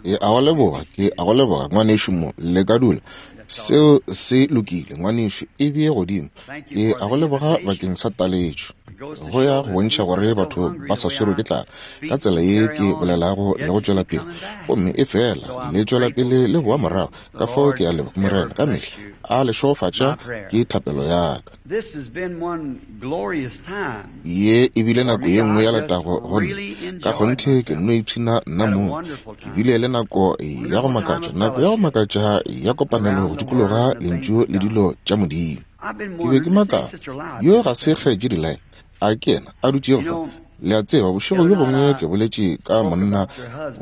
Ke a go leboga, ke a go leboga, ngwanešu mo. Le ka dula. Seo se lokile, ngwanešu, e bee godimo. Ke a go leboga bakeng sa taletšo. Go ya go bontšha gore batho ba sa swerwe ke tlala ka tsela ye ke bolelago le go tšwela pele, gomme efela le tšwela pele le boa morago. Ka fao ke a leboga Morena ka mehla a le šegofatša, ke thapelo ya ka. Ye e bile nako ye nngwe ya letago go nna. Ka kgonthe ke nno ipshina nna mong. Ke bile le nako ya go makatša, nako ya go makatša ya kopanelo go dikologa Lentšu le dilo tša Modimo. Ke be ke makala, yo ga se Kgaetšedi Lyle, a ke yena a dutšego fa? Le a tseba, bošego bjo bongwe ke boletše ka monna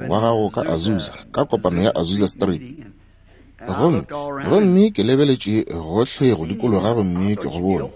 wa gago ka Azusa, ka kopano ya Azusa Street. Gomme, gomme ke lebeletše gohle go dikologa gomme ke go bone.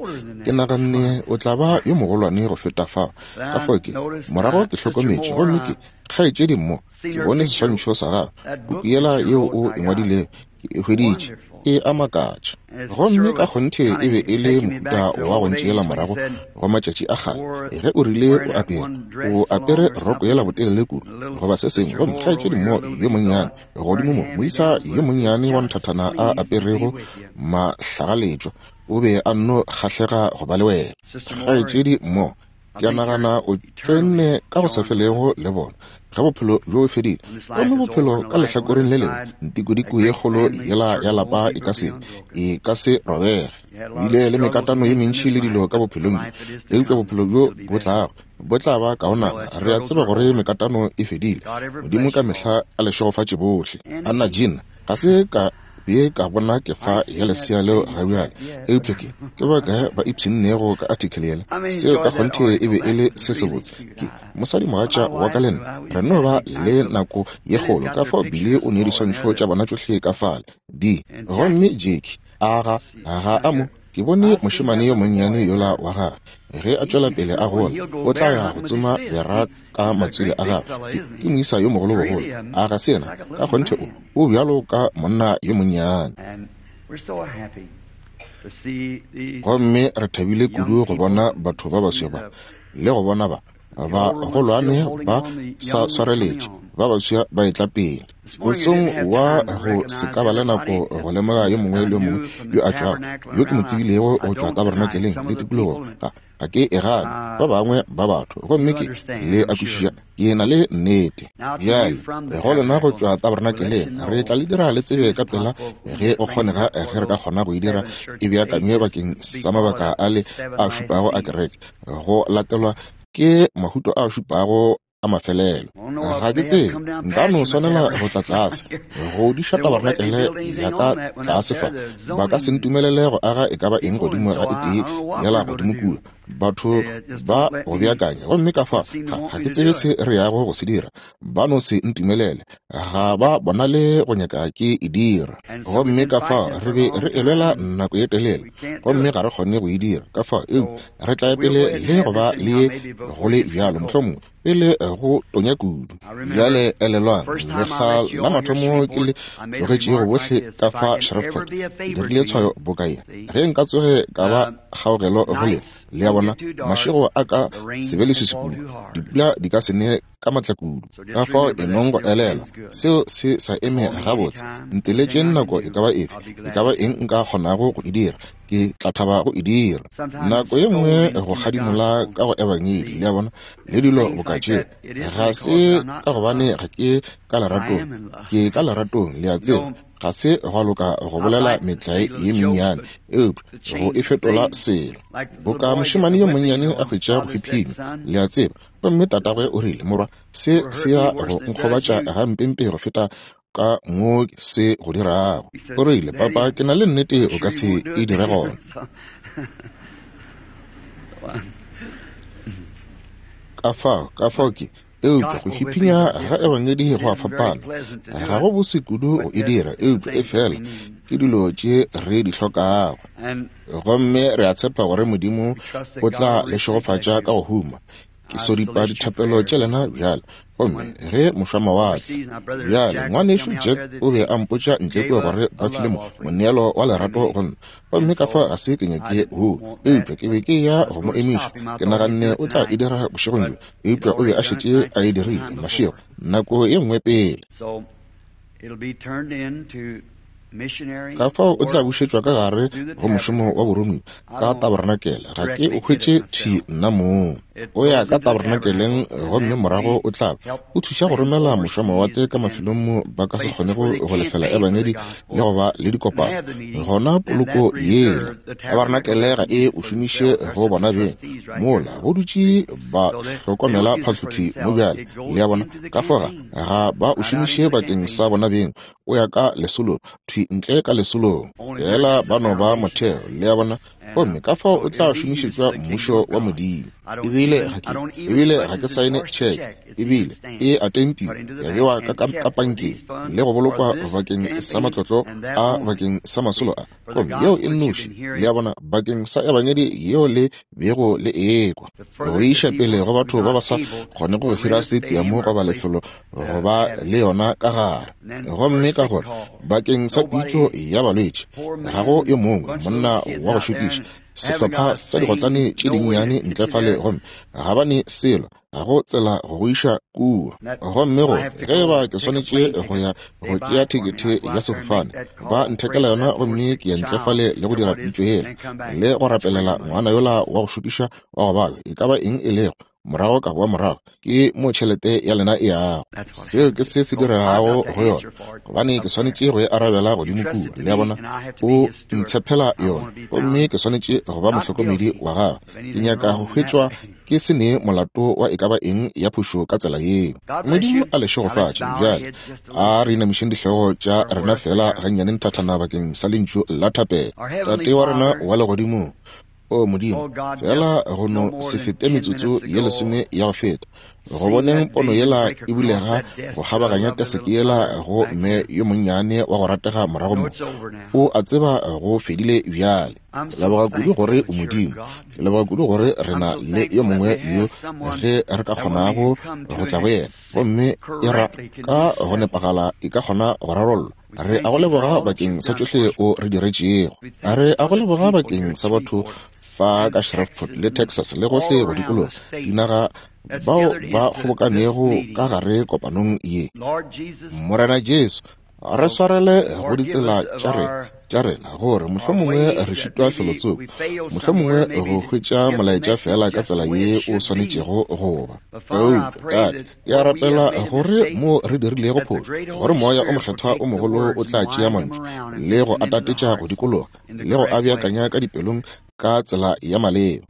Ke naganne o tla ba yo mogolwane go feta fao. Ka fao ke, morago ke hlokometše, gomme ke, kgaetšedi mo, ke bone seswantšho sa gagwe, puku yela yeo o e ngwadilego, ke e hweditše, e a makatša. Gomme ka kgonthe e be e le mohuta wa go ntšeela morago go matšatši a kgale, ge o rile o apere, o apere roko yela botelele kudu, goba se sengwe, gomme kgaetšedi mo yo monnyane godimo mo, moisa yo monnyane wa nthathana a aperego mahlagaletšwa, o be a nno kgahlega go ba le wena. Kgaetšedi mo, Ke a nagana o tšoenne ka go sa felego le bona ge bophelo bjo bo fedile. Gomme bophelo ka lehlakoreng le lengwe, ntikodiko ye kgolo yela ya lapa e ka se, e ka se robege. O ile le mekatano ye mentši le dilo ka bophelong bjo, eupša bophelo bjo bo tlago bo tla ba kaonana. Re a tseba gore mekatano e fedile. Modimo ka mehla a le šegofatše bohle. Anna Jean, ga se ka be ka bona kefa ya lesea leo ga bjale, eupša ke, ke ba kae ba ipshinnego ka article yela? Seo ka kgonthe e be e le se sebotse. Ke mosadimogatša wa ka le nna re no ba le nako ye kgolo, ka fao Billy o ne diswantšho tša bona tšohle ka fale. Di. Gomme Jackie, a ga, ga a mo. Ke bone mošemane yo monnyane yola wa gagwe, ge a tšwela pele a gola, o tla ya go tsoma bera ka matswele a gagwe. Ke, ke moisa yo mogolo bogolo. A ga se yena? Ka kgonthe o, o bjalo ka monna yo monnyane. Gomme re thabile kudu go bona batho ba baswa ba, le go bona ba, bagolwane ba sa swareletše, ba baswa ba etla pele. Mosong wa go se ka ba le nako go lemoga yo mongwe le yo mongwe yo a tšwago, yo ke mo tsebilego go tšwa tabernakeleng le tikologong, ga, ga ke e gane, ba bangwe ba batho, gomme ke, le a kwešiša, ke na le nnete. Bjale, go lena go tšwa tabernakeleng, re tla le dira le tsebe ka pela ge go kgonega, ge re ka kgona go e dira e beakanywe bakeng sa mabaka a le a šupago a kereke, go latelwa ke mahuto a šupago a mafelelo. Ga ke tsebe, nka no swanela go tla tlase go diša tabarenakele ya ka tlase fa. Ba ka se ntumelele go aga e ka ba eng godimo ga e tee yela godimo kua. Batho ba go beakanya, gomme ka fa ga, ga ke tsebe se re yago go se dira. Ba no se ntumelele, ga ba bonale go nyaka ke e dira. Gomme ka fao re be re e lwela nako ye telele, gomme ga re kgone go e dira. Ka fao, eupša re tla ya pele le go ba le ye go le bjalo, mohlomongwe pele go tonya kudu. Bjale elelwang, lekga la mathomo ke le tlogetšego bohle ka fa Shreveport, ke dirile tshwayo boka ye. Ge nka tsoge ka ba kgaogelo go lena, le a bona, mašego a ka se be leswiswi kudu, dipula di ka se ne ka matla kudu. Ka fao e nong go elelwa, seo se sa eme gabotse. Nteletšeng nako e ka ba efe, e ka ba eng nka kgonago go e dira, ke tla thaba go e dira. Nako ye nngwe go kgadimola ka go Ebangedi, le a bona, le dilo boka tšeo, ga se ka gobane ga ke ka leratong, ke ka leratong, le a tseba. Ga se gwa loka go bolela metlae ye mennyane, eupša go e fetola selo. Boka mošemane yo monnyane a hwetša go hwiphima, le a tseba, gomme tatagwe o rile, Morwa, se se ya go nkgobatša gampempe go feta ka mo se go dirago. O rile, Papa, ke na le nnete o ka se e dire gona. Ka fao, ka fao ke, eupša go hiphinya ga ebangedi go a fapana. Ga go bose kudu go e dira, eupša efela ke dilo tše re di hlokago. Gomme re a tshepa gore Modimo o tla le šegofatša ka go huma. Ke sodipa dithapelo tša lena bjale. Gomme ge mošwamawatle bjale, ngwanešu Jack o be a mpotša ntle kua gore ba file mo moneelo wa lerato go nna, gomme ka fa ga se ke nyake woo, eupša ke be ke ya go mo emiša. Ke naganne o tla e dira bošegong bjo, eupša o be a šetše a e dirile mašego nako ye nngwe pele. Ka fao o tla bušetšwa ka gare go mošomo wa boromiwa ka tabarenakele. Ga ke o hwetše thwi nna mong. O ya ka tabarenakeleng gomme morago o tla o thuša go romela mošwamawatle ka mafelong mo ba ka se kgonego go lefela ebangedi le go ba le dikopano. Gona poloko yela tabarenakele ga e o šomiše go bona beng. Mola go dutše ba hlokomela phahlothwi mo bjale, le a bona, ka fao ga ba o šomiše bakeng sa bona beng. O ya ka lesolong, thwi ntle ka lesolong, fela ba no ba motheo, le a bona, gomme ka fao o tla šomišetšwa mmušo wa Modimo. Ebile ga ke, ebile ga ke saene tšheke, ebile e a tempiwa, ya bewa ka, ka, ka pankeng le go bolokwa bakeng sa matlotlo a, bakeng sa masolo a, gomme yeo e nnoši, le a bona, bakeng sa ebangedi yeo le bego le ekwa, go iša pele go batho ba ba sa kgonego go hira stadiamo goba lefelo go ba le yona ka gare. Gomme ka gore bakeng sa pitšo ya balwetši, ga go yo mongwe monna wa go šokiša, sehlopha sa digotlane tše dinnyane ntle fale, gomme ga ba ne selo, ga go tsela go go iša kua. Gomme go, ge eba ke swanetše go ya go tšea thekethe ya sefofane, ba nthekela yona, gomme ke ya ntle fale le go dira pitšo yela, le go rapelela ngwana yola wa go šokiša wa go babja, e ka ba eng e lego, morago ka boa morago, ke mo tšhelete ya lena e yago. Seo ke se se diregago go yona, gobane ke swanetše go e arabela godimo kua, le a bona. O ntshepela yona, gomme ke swanetše go ba mohlokomedi wa gagwe. Ke nyaka go hwetšwa ke se ne molato wa e ka ba eng ya phošo ka tsela yeo. Modimo a le šegofatše. Bjale a re inamišeng dihlogo tša rena feela gannyane nthathana bakeng sa lentšu la thapelo. Tate wa rena wa Legodimong, O Modimo, feela go no se fete metsotso ye lesome ya go feta, go boneng pono yela e bulega go kgabaganya teseke yela go mme yo monnyane wa go ratega morago mo. O a tseba go fedile bjale. Ke leboga kudu gore o Modimo. Ke leboga kudu gore re na le yo mongwe yo ge re ka kgonago go tla go yena, gomme e ra ka go nepagala e ka kgona go rarollwa. Re a go leboga bakeng sa tšohle o re diretšego. Re a go leboga bakeng sa batho fa ka Shreveport le Texas le gohle go dikologa dinaga bao ba kgobokanego ka gare kopanong ye. Morena Jesu, re swarele go ditsela tša rena tša rena gore mohlomongwe re šitwa felotsoko, mohlomongwe go hwetša molaetša feela ka tsela ye o swanetšego go ba. Eupša, Tate, Ke a rapela gore mo re dirilego phošo, gore Moya o Mokgethwa o mogolo o tla tšea mantšu le go a tatetša go dikologa le go a beakanya ka dipelong ka tsela ya maleba,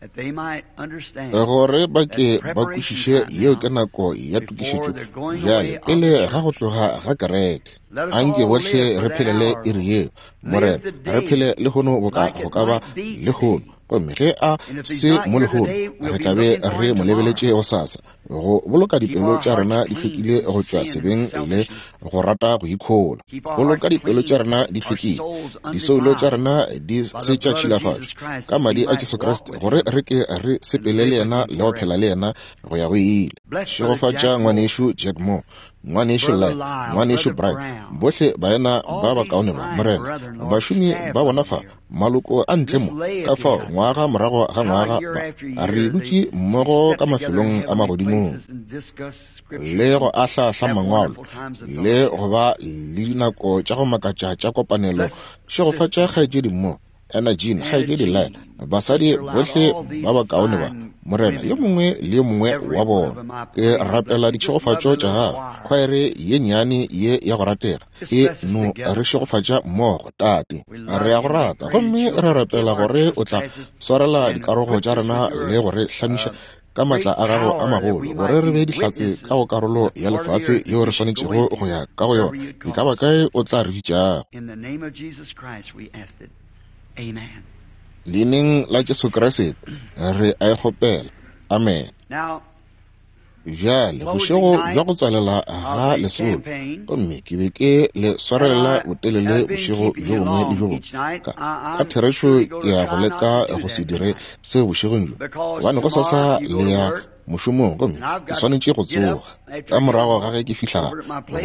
gore ba ke ba kwešiše yeo ke nako ya tokišetšo bjale pele ga go tloga ga kereke. Anke bohle re phelele iri yeo, Morena, re phele lehono boka go ka ba lehono. Gomme ge a se mo lehono, re tla be re mo lebeletše gosasa, go boloka dipelo tša rena di hlwekile go tšwa sebeng le go rata go ikhola. Boloka dipelo tša rena di hlwekile, disoulo tša rena di se tša tšhilafatšwa ka madi a Jesu Kriste, gore re ke re sepele le yena le go phela le yena go ya go ile. Šegofatša ngwanešu Jack Moore, Ngwanešu Lyle, Ngwanešu Brown, bohle baena ba bakaone ba, Morena, bašomi ba bona fa, maloko a ntle mo, ka fao ngwaga morago ga ngwaga ba re dutše mmogo ka mafelong a magodimong le go ahla-ahla mangwalo le go ba le dinako tša go makatša tša kopanelo. Šegofatša kgaetšedi mo, Anna Jean, kgaetšedi Lyle, basadi bohle ba bakaone ba, Morena, yo mongwe le yo mongwe wa bona. Ke rapela ditšhegofatšo tša Gago. Khwaere ye nnyane ye ya go ratega e no re šegofatša mmogo, Tate. Re a Go rata, gomme re rapela gore O tla swarela dikarogo tša rena le go re hlamiša ka maatla a Gago a magolo, gore re be dihlatse ka go karolo ya lefase yeo re swanetšego go ya ka go yona, e ka ba kae O tla re bitšago. Leineng la Jesu Kriste re a e kgopela. Amen. Bjale, bošego bja go tswalela ga lesolo, gomme ke be ke le swarelela botelele bošego bjo bongwe le bjo bongwe. Ka, ka therešo ke ya go leka go se dire seo bošegong bjo, gobane gosasa le ya mošomong gomme ke swanetše go tsoga ka morago ga ge ke fihla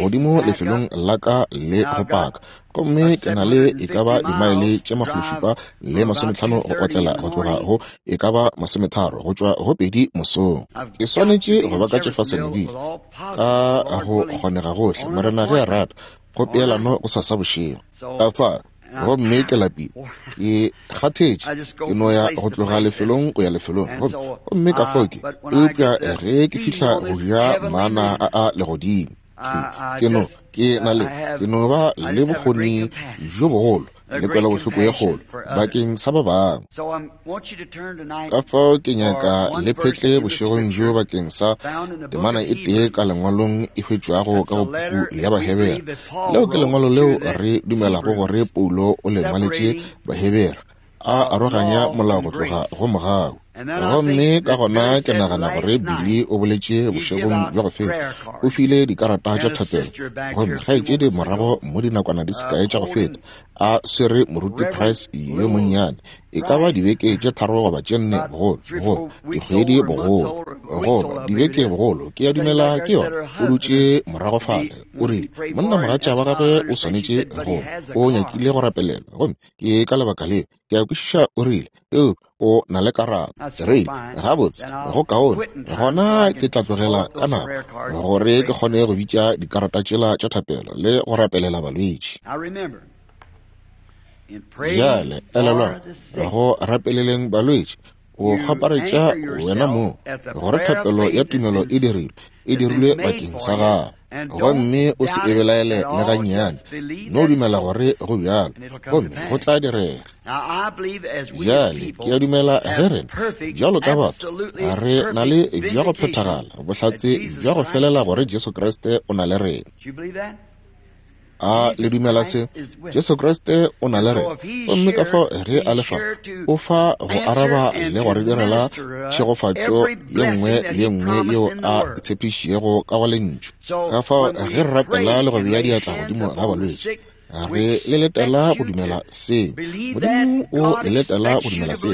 godimo lefelong la ka le go paka, gomme ke na le e ka ba dimaele tše 750 go otlela go tloga go e ka ba 30 go tšwa go 2 mosong. Ke swanetše go ba ka Jeffersonville ka go kgonega gohle, Morena ge a rata, go peelano go sasa bošego. Ka fa gomme ke lapile, ke kgathetše, ke no ya go tloga lefelong go ya lefelong, gomme ka fao ke, eupša ge ke fihla go ja mana a a legodimo, ke no ke na le ke no ba le bokgoni bjo bogolo le kwelobohloko ye kgolo bakeng sa ba bangwe. Ka fao ke nyaka le phetle bošegong bjo bakeng sa temana e tee ka lengwalong e hwetšwago ka go puku ya Bahebere. Leo ke lengwalo leo re dumelago gore Paulo o le ngwaletše Bahebere, a aroganya molao go tloga go mogau. Gomme ka gona ke nagana gore Billy o boletše bošegong bja go feta, o file dikarata tša thapelo, gomme kgaetšedi morago mo dinakwana di sekae tša go feta a swere moruti Price yo monnyane, e ka ba dibeke tše 3 goba tše 4 bogolo, goba dikgwedi bogolo, goba dibeke bogolo, ke a dumela ke yona. O dutše morago fale, o rile monna mogatša wa gagwe o swanetše go, o nyakile go rapelela, gomme ke ka lebaka leo ke a kwešiša, o rile, eupša o na le karata. Re gabotse, go kaone gona ke tla tlogela ka nako gore ke kgone go bitša dikarata tšela tša thapelo le go rapelela balwetši. Bjale elelwang, go rapeleleng balwetši, o kgaparetša wena moo gore thapelo ya tumelo e dirilwe bakeng sa gago, gomme o se e belaele le gannyane, no dumela gore go bjalo, gomme go tla direga. Bjale ke a dumela ge rena bjalo ka batho re na le bja go phethagala bohlatse bja go felela gore Jesu Kriste o na le rena. A le dumela se? Jesu Kriste o na le rena, gomme ka fao ge a le fa, o fa go araba le go re direla tšhegofatšo ye nngwe le ye nngwe yeo a tshepišitšego ka go lentšu. Ka fao ge re rapela le go bea diatla godimo ga balwetši, re le letela go dumela seo. Modimo o le letela go dumela seo.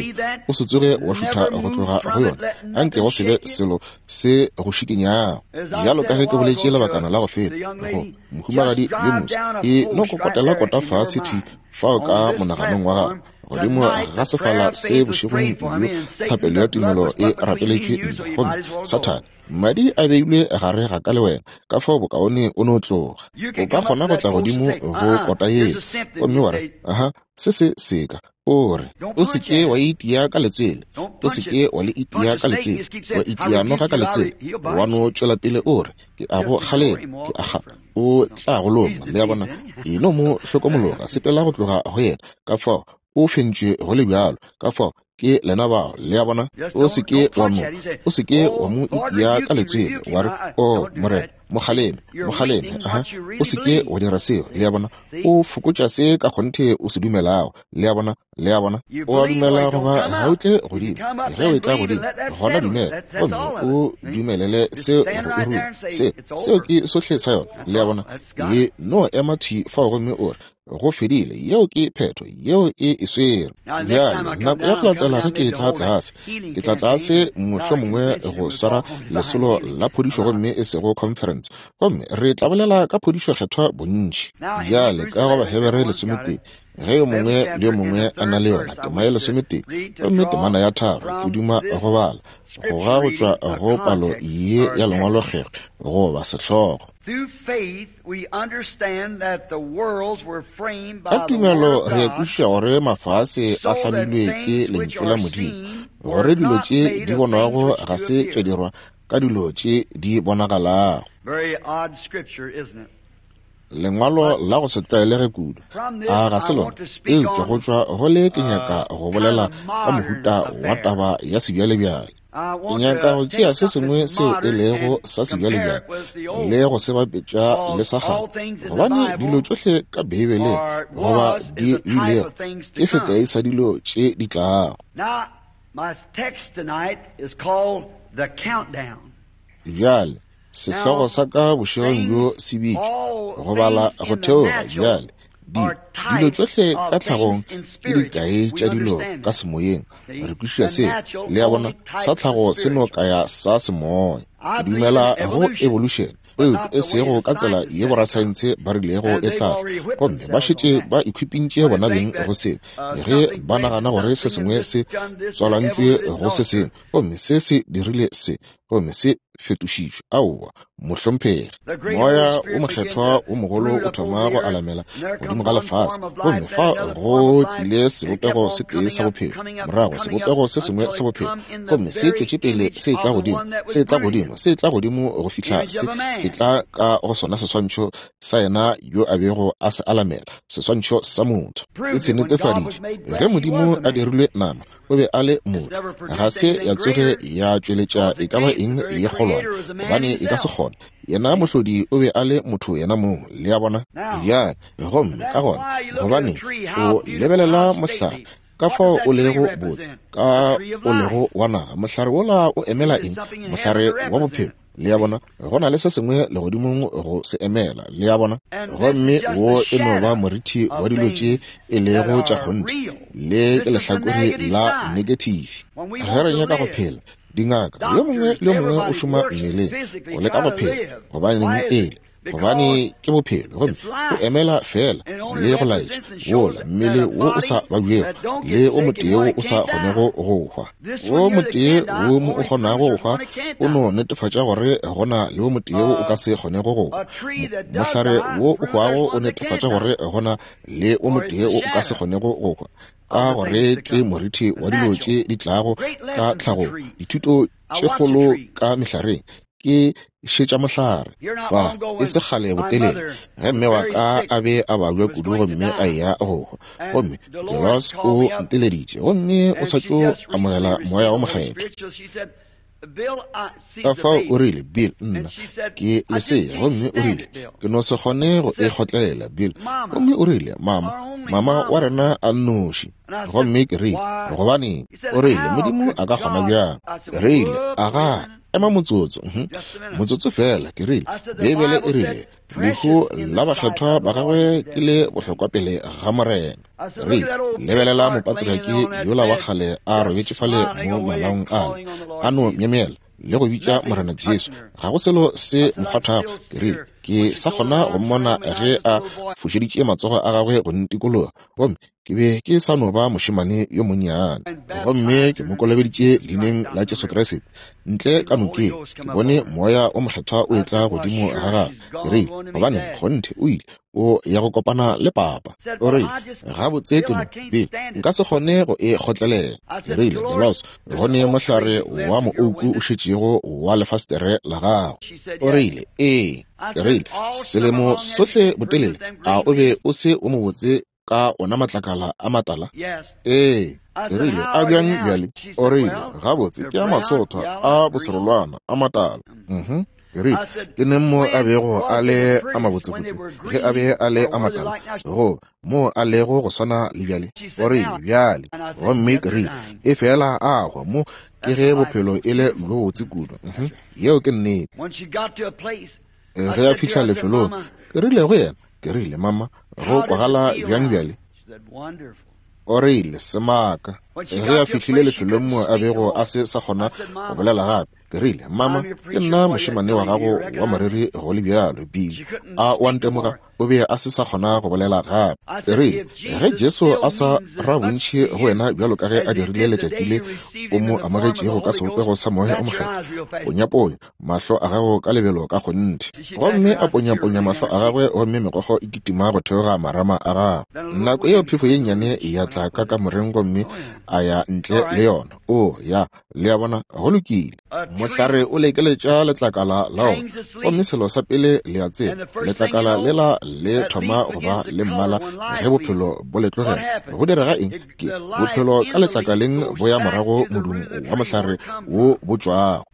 O se tsoge wa šutha go tloga go yona, anke go se be selo se go šikinyago. Bjalo ka ge ke boletše lebakana la go feta go mohumagadi yo moswa, e no kokotela kota fase thwi fao ka monaganong wa gago godimo ga sefala se bošegong bjo thapelo ya tumelo e rapeletšwe nna, gomme Sathane, madi a beilwe gare ga ka le wena, ka fao bokaone o no tloga. O ka kgona go tla godimo go kota yeo gomme wa re, aha, se se seka. O re, o se ke wa itia ka letswele, o se ke wa le itia ka letswele, wa itia noga ka letswele, wa no tšwela pele o re, ke a go kgalema, ke a ga, o tla go loma. Le a bona, e no mo hlokomologa, sepela go tloga go yena, ka fao o fentšwe go le bjalo, ka fao ke lena bao. Le a bona, o se ke wa mo, o se ke wa mo itia ka letswele, wa re, o Morena, mo kgaleme, mo kgaleme, aha, o se ke wa dira seo. Le a bona, o fokotša se ka kgonthe o se dumelago. Le a bona, le a bona, o a dumela goba ga o tle godimo. Ge o etla godimo, gona dumela, gomme o dumelele seo go e ruma. Seo ke sohle sa yona. Le a bona, e no ema thwi fao gomme o re, go fedile, yeo ke phetho, yeo e e swere. Bjale nako ya go latela ge ke tla tlase, ke tla tlase mohlomongwe go swara lesolo la phodišo gomme e sego conference, gomme re tla bolela ka phodišo kgethwa bontši. Bjale ka go Bahebere 11, ge yo mongwe le yo mongwe a na le yona tema ya 11 gomme temana ya 3, ke duma go bala goga go tšwa go palo ye ya lengwalo kgekge goba sehlogo. Ka tumelo re kwešiša gore mafase a hlamilwe ke lentšu la Modimo, gore dilo tše di bonwago ga se tša dirwa ka dilo tše di bonagalago. Lengwalo la go se tlwaelege kudu, a ga se lona? Eupša go tšwa go le ke nyaka go bolela ka mohuta wa taba ya sebjalebjale. Ke nyaka go tšea se sengwe seo e lego sa sebjalebjale le go se bapetša le sa kgale, gobane dilo tšohle ka Beibeleng goba di bilego ke sekai sa dilo tše di tlago. Bjale sehlogo sa ka bošegong bjo se bitšwa go bala go theoga. Bjale Dilo tšohle ka tlhagong ke dikai tša dilo ka semoyeng. Re kwešiša seo. Le a bona, sa tlhago se no kaya sa semoya. Ke dumela go evolution, eupša e sego ka tsela ye borasaense ba rilego e tla tla. Gomme ba šetše ba ikhwipintše bona beng go seo, ge ba nagana gore se sengwe se tswalantšwe go se sengwe, gomme se se dirile se, gomme se fetošišwe. Aowa, mohlomphegi. Moya wo Mokgethwa wo mogolo o thoma go alamela godimo ga lefase, gomme fa go tlile sebopego se tee sa bophelo, morago sebopego se sengwe sa bophelo, gomme se tšwetše pele se etla godimo, se etla godimo, se etla godimo go fihla se etla ka go sona seswantšho sa yena yo a bego a se alamela, seswantšho sa motho. E se netefaditše. Ge Modimo a dirilwe nama, o be a le motho. Ga se ya tsoge ya tšweletša e ka ba eng ye kgolwane, gobane e ka se kgone. Yena mohlodi o be a le motho yena mong, le a bona. Bjale, gomme ka gona, gobaneng o lebelela mohlare, ka fao o lego botse, ka o lego wa naga, mohlare wola o emela eng? Mohlare wa bophelo. Le a bona, go na le se sengwe legodimong go se emela. Le a bona? Gomme wo e no ba morithi wa dilo tše e lego tša kgonthe. Le ke lehlakore la nekethifi. Ge re nyaka go phela, dingaka, yo mongwe le yo mongwe o šoma mmeleng go leka go phela. Gobaneng e le? Gobane ke bophelo, gomme o emela feela le go laetša wola mmele wo o sa babjego le o motee wo o sa kgonego go hwa. Wo motee wo mo o kgonago go hwa o no netefatša gore go na le wo motee wo o ka se kgonego go hwa. Mohlare wo o hwago o netefatša gore go na le wo motee wo o ka se kgonego go hwa, ka gore ke morithi wa dilo tše di tlago ka tlhagong. Dithuto tše kgolo ka mehlareng ke šetša mohlare fa e se kgale botelele, ge mme wa ka a be a babja kudu gomme a eya go hwa, gomme Dolores o nteleditše gomme o sa tšo amogela Moya wo Mokgethwa. Ka fao o rile, Bill, nna ke lesea, gomme o rile, ke no se kgone go e kgotlelela, Bill. Gomme o rile, Mama, mama wa rena a nnoši. Gomme ke rile, Gobaneng? O rile, Modimo a ka kgona bjang? Ke rile, Aga, ema motsotso, motsotso feela. Ke rile, Beibele e rile, lehu la bakgethwa ba gagwe ke le bohlokwa pele ga Morena. Ke rile, lebelela mopatriarki yola wa kgale a robetše fale mo malaong ale, a no myemyela le go bitša Morena Jesu. Ga go selo se mo kgwathago. Ke rile, ke sa kgona go mmona ge a fošeditše matsogo a gagwe go ntikologa, gomme ke be ke sa no ba mošemane yo monnyane, gomme ke mo kolobeditše leineng la Jesu Kriste. Ntle ka nokeng, ke bone Moya wo Mokgethwa o etla godimo ga gagwe. Ke rile, Gobaneng, kgonthe, o ile, o ya go kopana le papa. O rile, Gabotse, ke no, Bill, nka se kgone go e kgotlelela. Ke rile, Dolores, go ne mohlare wa moouku o šetšego wa lefastere la gago. O rile, Ee. Ke rile, Selemo sohle botelele, a o be o se o mobotse ka ona matlakala a matala? Ee. Ke rile, A bjang bjale? O rile, Gabotse, ke a matsothwa, a boserolwana, a matala. Uh-huh. Ke rile, Ke neng mo a bego a le a mabotsebotse? Ge a be a le a matala, goba mo a lego go swana le bjale? O rile, Bjale. Gomme ke rile, Efela a hwa mo, ke ge bophelo e le bjo bobotse kudu. Uh-huh. Yeo ke nnete. Ge a fihla lefelong, ke rile go yena, ke rile, Mama, go kwagala bjang bjale? O rile, Semaka. Ge a fihlile lefelong mo a bego a se sa kgona go bolela gape, ke rile, Mama, ke nna mošemane wa gago wa moreri go le bjalo, Bill. A o a ntemoga? O be a se sa kgona go bolela gape. Ke rile, Ge Jesu a sa ra bontši go wena bjalo ka ge a dirile letšatši le o mo amogetšego ka sebopego sa Moya o Mokgethwa, ponyaponya mahlo a gago ka lebelo ka kgonthe. Gomme a ponyaponya mahlo a gagwe, gomme megokgo e kitima go theoga marama a gagwe. Nako yeo phefo ye nnyane ya tla ka kamoreng gomme a ya ntle le yona. Oo, ya, le a bona, go lokile. Mohlare o lekeletša letlakala la ona, gomme selo sa pele le a tseba, letlakala lela le thoma go ba le mmala ge bophelo bo le tlogela. Go direga eng? Ke bophelo ka letlakaleng bo ya morago modung wa mohlare wo bo tšwago.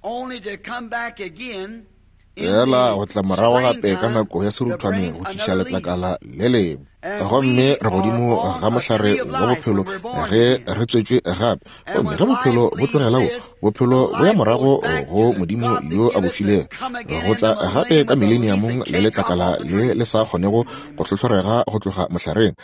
Fela go tla morago gape ka nako ya seruthwane go tliša letlakala le lengwe. Gomme re godimo ga mohlare wa bophelo ge re tswetšwe gape. Gomme ge bophelo bo tlogela wo, bophelo bo ya morago go Modimo yo a bo filego, go tla gape ka mileniamong le letlakala le le sa kgonego go hlohlorega go tloga mohlareng.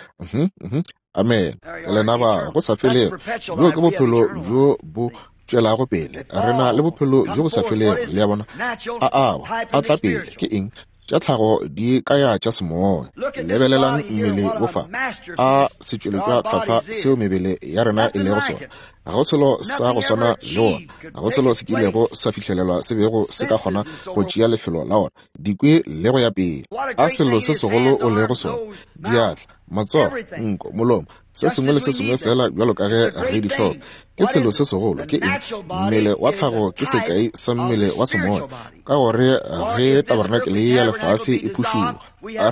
Amen. Lena ba go sa felego. Bjo ke bophelo bjo bo tšwelago pele. Re na le bophelo bjo bo sa felego, le a bona. A awa, a tla pele. Ke eng? Tša tlhago di kaya tša semoya. Lebelelang mmele wo fa, a setšweletšwa tlhwahlwa seo mebele ya rena e lego sona. Ga go selo sa go swana le wona. Ga go selo se kilego sa fihlelelwa se bego se ka kgona go tšea lefelo la wona. Dikwi le go ya pele. A selo se segolo o lego sona. Diatla, matsogo, nko, molomo, se sengwe le se sengwe fela bjalo ka ge re di hloka. Ke selo se segolo. Ke eng? Mmele wa tlhago ke sekai sa mmele wa semoya, ka gore ge tabernacle ya lefase e phušuga,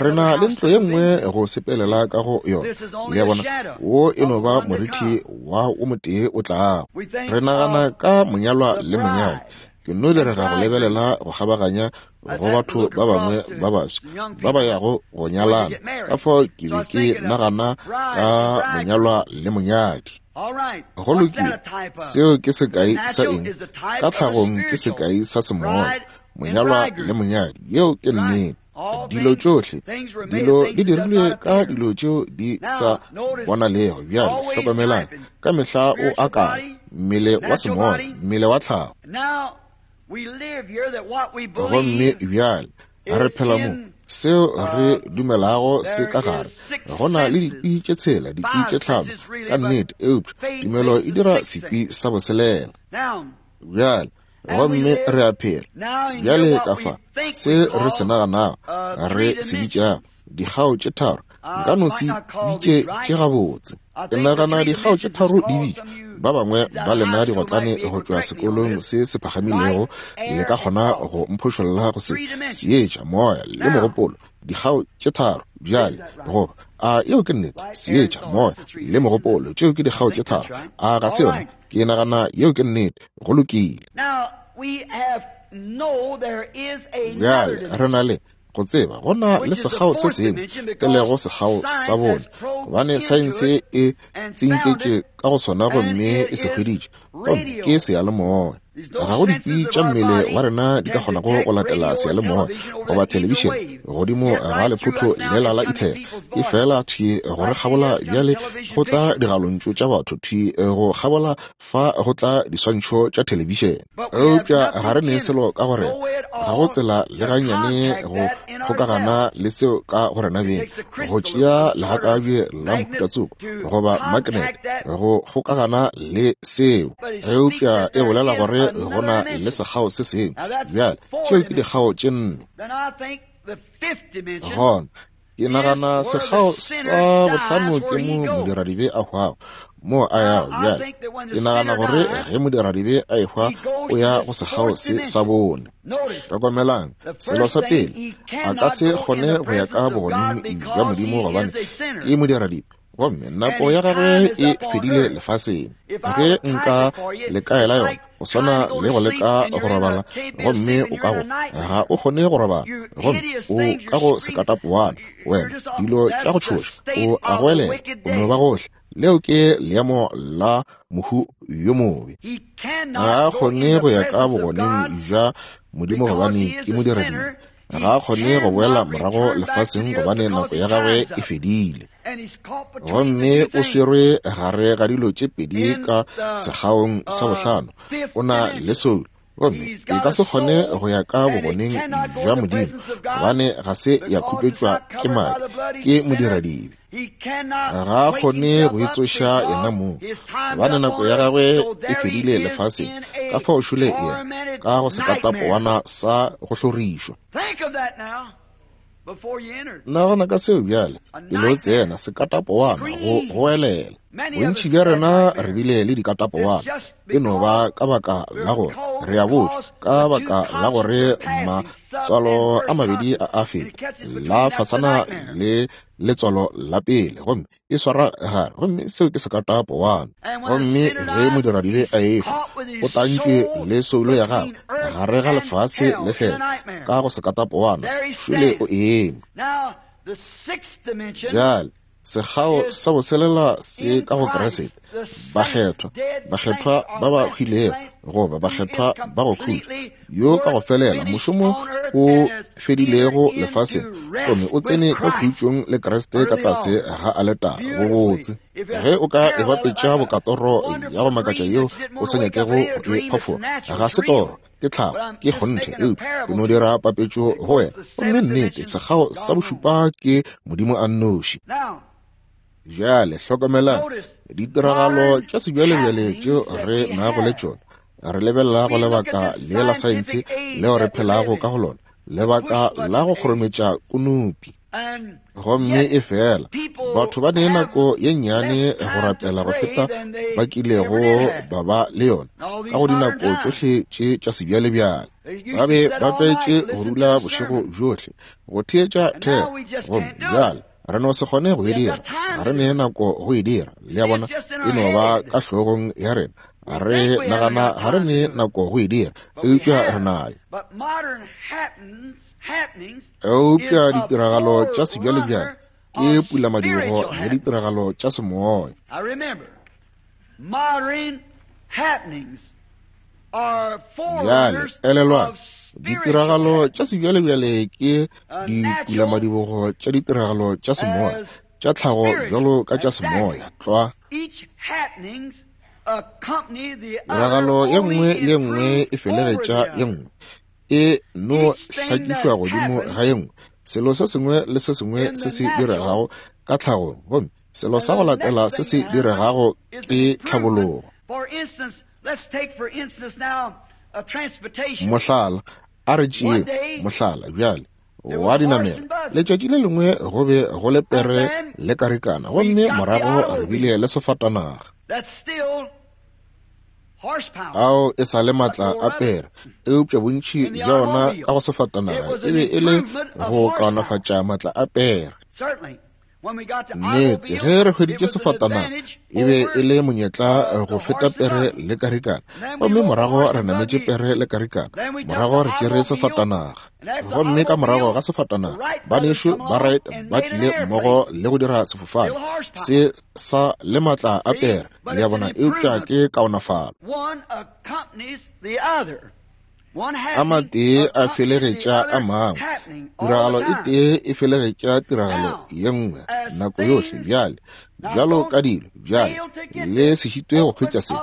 re na le ntlo ye nngwe go sepelela ka go yona. Le a bona, wo e no ba morithi wa o motee o tlago. Re nagana ka monyalwa le monyadi. Ke no direga go lebelela go kgabaganya go batho ba bangwe ba baswa ba ba yago go nyalana, ka fao ke be ke nagana ka monyalwa le monyadi. Go lokile, seo ke sekai sa eng? Ka tlhagong ke sekai sa semoya, monyalwa le monyadi. Yeo ke nnete. Dilo tšohle, dilo di dirilwe ka dilo tšeo di sa bonalego. Bjale hlokomelang, ka mehla o akanya mmele wa semoya, mmele wa tlhago. Gomme bjale re phela mo, seo re dumelago se ka gare. Go na le dikwi tše tshela, dikwi tše tlhano ka nnete, eupša tumelo e dira sekwi sa boselela. Bjale, gomme re a phela bjale ka fa se re se naganago, re se bitšago dikgao tše tharo. Nka no se bitše tše gabotse. Ke nagana dikgao tše tharo di bitšwa. Ba bangwe ba lena digotlane go tšwa sekolong se se phagamilego le ka kgona go mphošolla go se seetša, moya le mogopolo. Dikgao tše tharo bjale, goba a yeo ke nnete? Seetša, moya le mogopolo, tšeo ke dikgao tše tharo. A ga se yona? Ke nagana yeo ke nnete. Go lokile. Bjale re na le go tseba go na le sekgao se sengwe e lego sekgao sa bone, gobane saense e tsinketše ka go sona gomme e se hweditše, gomme ke seyalemoya. Ga go dikwi tša mmele wa rena di ka kgonago go latela seyalemoya goba thelebišene godimo ga lephotho lela la ethera, e fela thwi go re kgabola bjale go tla digalontšu tša batho, thwi go kgabola fa go tla diswantšho tša thelebišene. Eupša ga re ne selo ka gore ga go tsela le gannyane go kgokagana le seo ka go rena beng, go tšea legakabje la mohutatsoko goba magnet go kgokagana le seo. Eupša e bolela gore go na le sekgao se sengwe. Bjale tšeo ke dikgao tše nne. Gona ke nagana sekgao sa bohlano ke mo modiradibe a hwago, mo a yago. Bjale ke nagana gore ge modiradibe a ehwa o ya go sekgao se sa bone. Hlokomelang, selo sa pele, a ka se kgone go ya ka bogoneng bja Modimo gobane ke modiradibe, gomme nako ya gagwe e fedile lefaseng. Ge nka le kaela yona, go swana le go leka go robala, gomme o ka go ga o kgone go robala, gomme o ka go sekatapowana, wena dilo tša go tšhoša, o a goelela, o no ba gohle. Leo ke leemo la mohu yo mobe. Ga a kgone go ya ka bogoneng bja Modimo gobane ke modiradibe. Ga a kgone go boela morago lefaseng gobane nako ya gagwe e fedile. Gomme o swerwe gare ga dilo tše pedi ka sekgaong sa bohlano. O na le soulo, gomme e ka se kgone go ya ka bogoneng bja Modimo gobane ga se ya khupetšwa ke madi, ke modiradibe. Ga a kgone go itsoša yena mong gobane nako ya gagwe e fedile lefaseng, ka fao šole yena ka go sekatapowana sa go hlorišwa. Nagana ka seo bjale, pele o tsena sekatapowana go goelela. Bontši bja rena re bile le dikatapowana, e no ba ka baka la gore re a botšwa, ka baka la gore matswalo a mabedi a a feta, la fasana le letswalo la pele, gomme e swara gare, gomme seo ke sekatapowana. Gomme ge modiradibe a ehwa, o tantšwe le soulo ya gagwe gare ga lefase le hele, ka go sekatapowana, šole o eme. Bjale, sekgao sa boselela se ka go Kriste, bakgethwa, bakgethwa ba ba hwilego, goba bakgethwa ba go khutša, yo ka go felela mošomo o fedilego lefaseng, gomme o tsene ka khutšong le Kriste ka tlase ga aletara. Bobotse ge o ka e bapetša bokatoro ya go makatša yeo o sa nyakego go e phafoga, ga se toro, ke tlhago, ke kgonthe, eupša ke no dira papetšo go wena. Gomme nnete, sekgao sa bošupa ke Modimo a nnoši. Bjale hlokomelang ditiragalo tša sebjalebjale tšeo re nago le tšona. Re lebelela go lebaka le la saense leo re phelago ka go lona, lebaka la go kgorometša konopi. Gomme e fela batho ba ne nako ye nnyane go rapela go feta ba kilego ba ba le yona ka go dinako tšohle tše tša sebjalebjale. Ba be ba tlwaetše go dula bošego bjohle go theetša thero, gomme bjale re no se kgone go e dira, ga re ne nako go e dira. Le a bona, e no ba ka hlogong ya rena, re nagana ga re ne nako go e dira, eupša re nayo. Eupša ditiragalo tša sebjalebjale ke pulamadibogo ya ditiragalo tša semoya. Bjale elelwang, ditiragalo tša sebjalebjale ke dipulamadibogo tša ditiragalo tša semoya, tša tlhago bjalo ka tša semoya. Tlwa. Tiragalo ye nngwe le ye nngwe e felegetša ye nngwe, e no hlakišwa godimo ga ye nngwe. Selo se sengwe le se sengwe se se diregago ka tlhagong, gomme selo sa go latela se se diregago ke tlhabologo. Mohlala, a re tšeeng mohlala bjale wa dinamela. Letšatši le lengwe go be go le pere le karikana, gomme morago re bile le sefatanaga. Ao e sa le matla a pere, eupša bontši bja ona ka go sefatanaga e be e le go kaonafatša matla a pere. Nnete, ge re hweditše sefatanaga e be e le monyetla go feta pere le karikana, gomme morago re nametše pere le karikana, morago re tšere sefatanaga, gomme ka morago ga sefatanaga banešu ba Wright ba tlile mmogo le go dira sefofane se sa le matla a pere, le a bona, eupša ke kaonafalo. A matee a felegetša a mangwe, tiragalo e tee e felegetša tiragalo ye nngwe nako yohle. Bjale, bjalo ka dilo, bjale le se šitwe go hwetša se,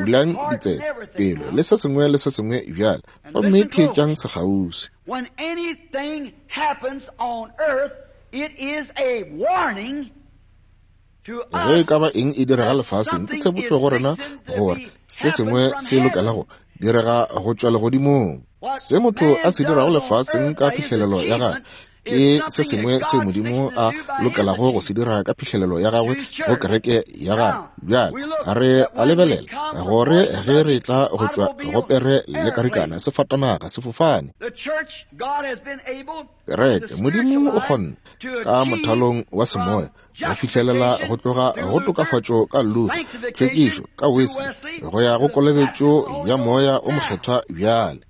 bulang ditsebe, pelo, le se sengwe le se sengwe bjale, gomme theetšang sekgauswi. When anything happens on earth, it is a warning Ge e ka ba eng e direga lefaseng, ke tshepotšo go rena gore se sengwe se lokela go direga go tšwa legodimong. Se motho a se dirago lefaseng ka phihlelelo ya gagwe ke se sengwe seo Modimo a lokelago go se dira ka phihlelelo ya gagwe go kereke ya gagwe. Bjale re a lebelela gore ge re tla go tšwa go pere le karikana, sefatanaga, sefofane, kereke, Modimo o kgonne ka mothalong wa semoya go fihlelela go tloga go tokafatšo ka Luther, tlhwekišo ka Wesley, go ya go kolobetšo ya Moya o Mokgethwa bjale.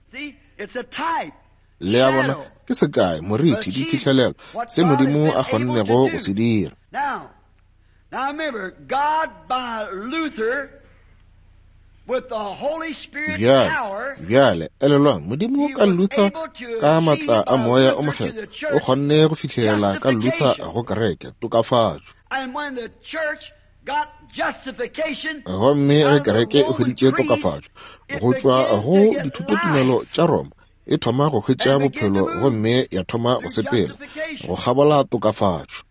Le a bona, ke sekai, moriti, diphihlelelo, se Modimo a kgonnego go se dira. Bjale, bjale, elelwang, Modimo ka Luther, ka maatla a Moya o Mokgethwa, o kgonne go fihlelela ka Luther go kereke, tokafatšo. Gomme ge kereke e hweditše tokafatšo go tšwa go dithutotumelo tša Roma, e thoma go hwetša bophelo gomme ya thoma go sepela go kgabola tokafatšo.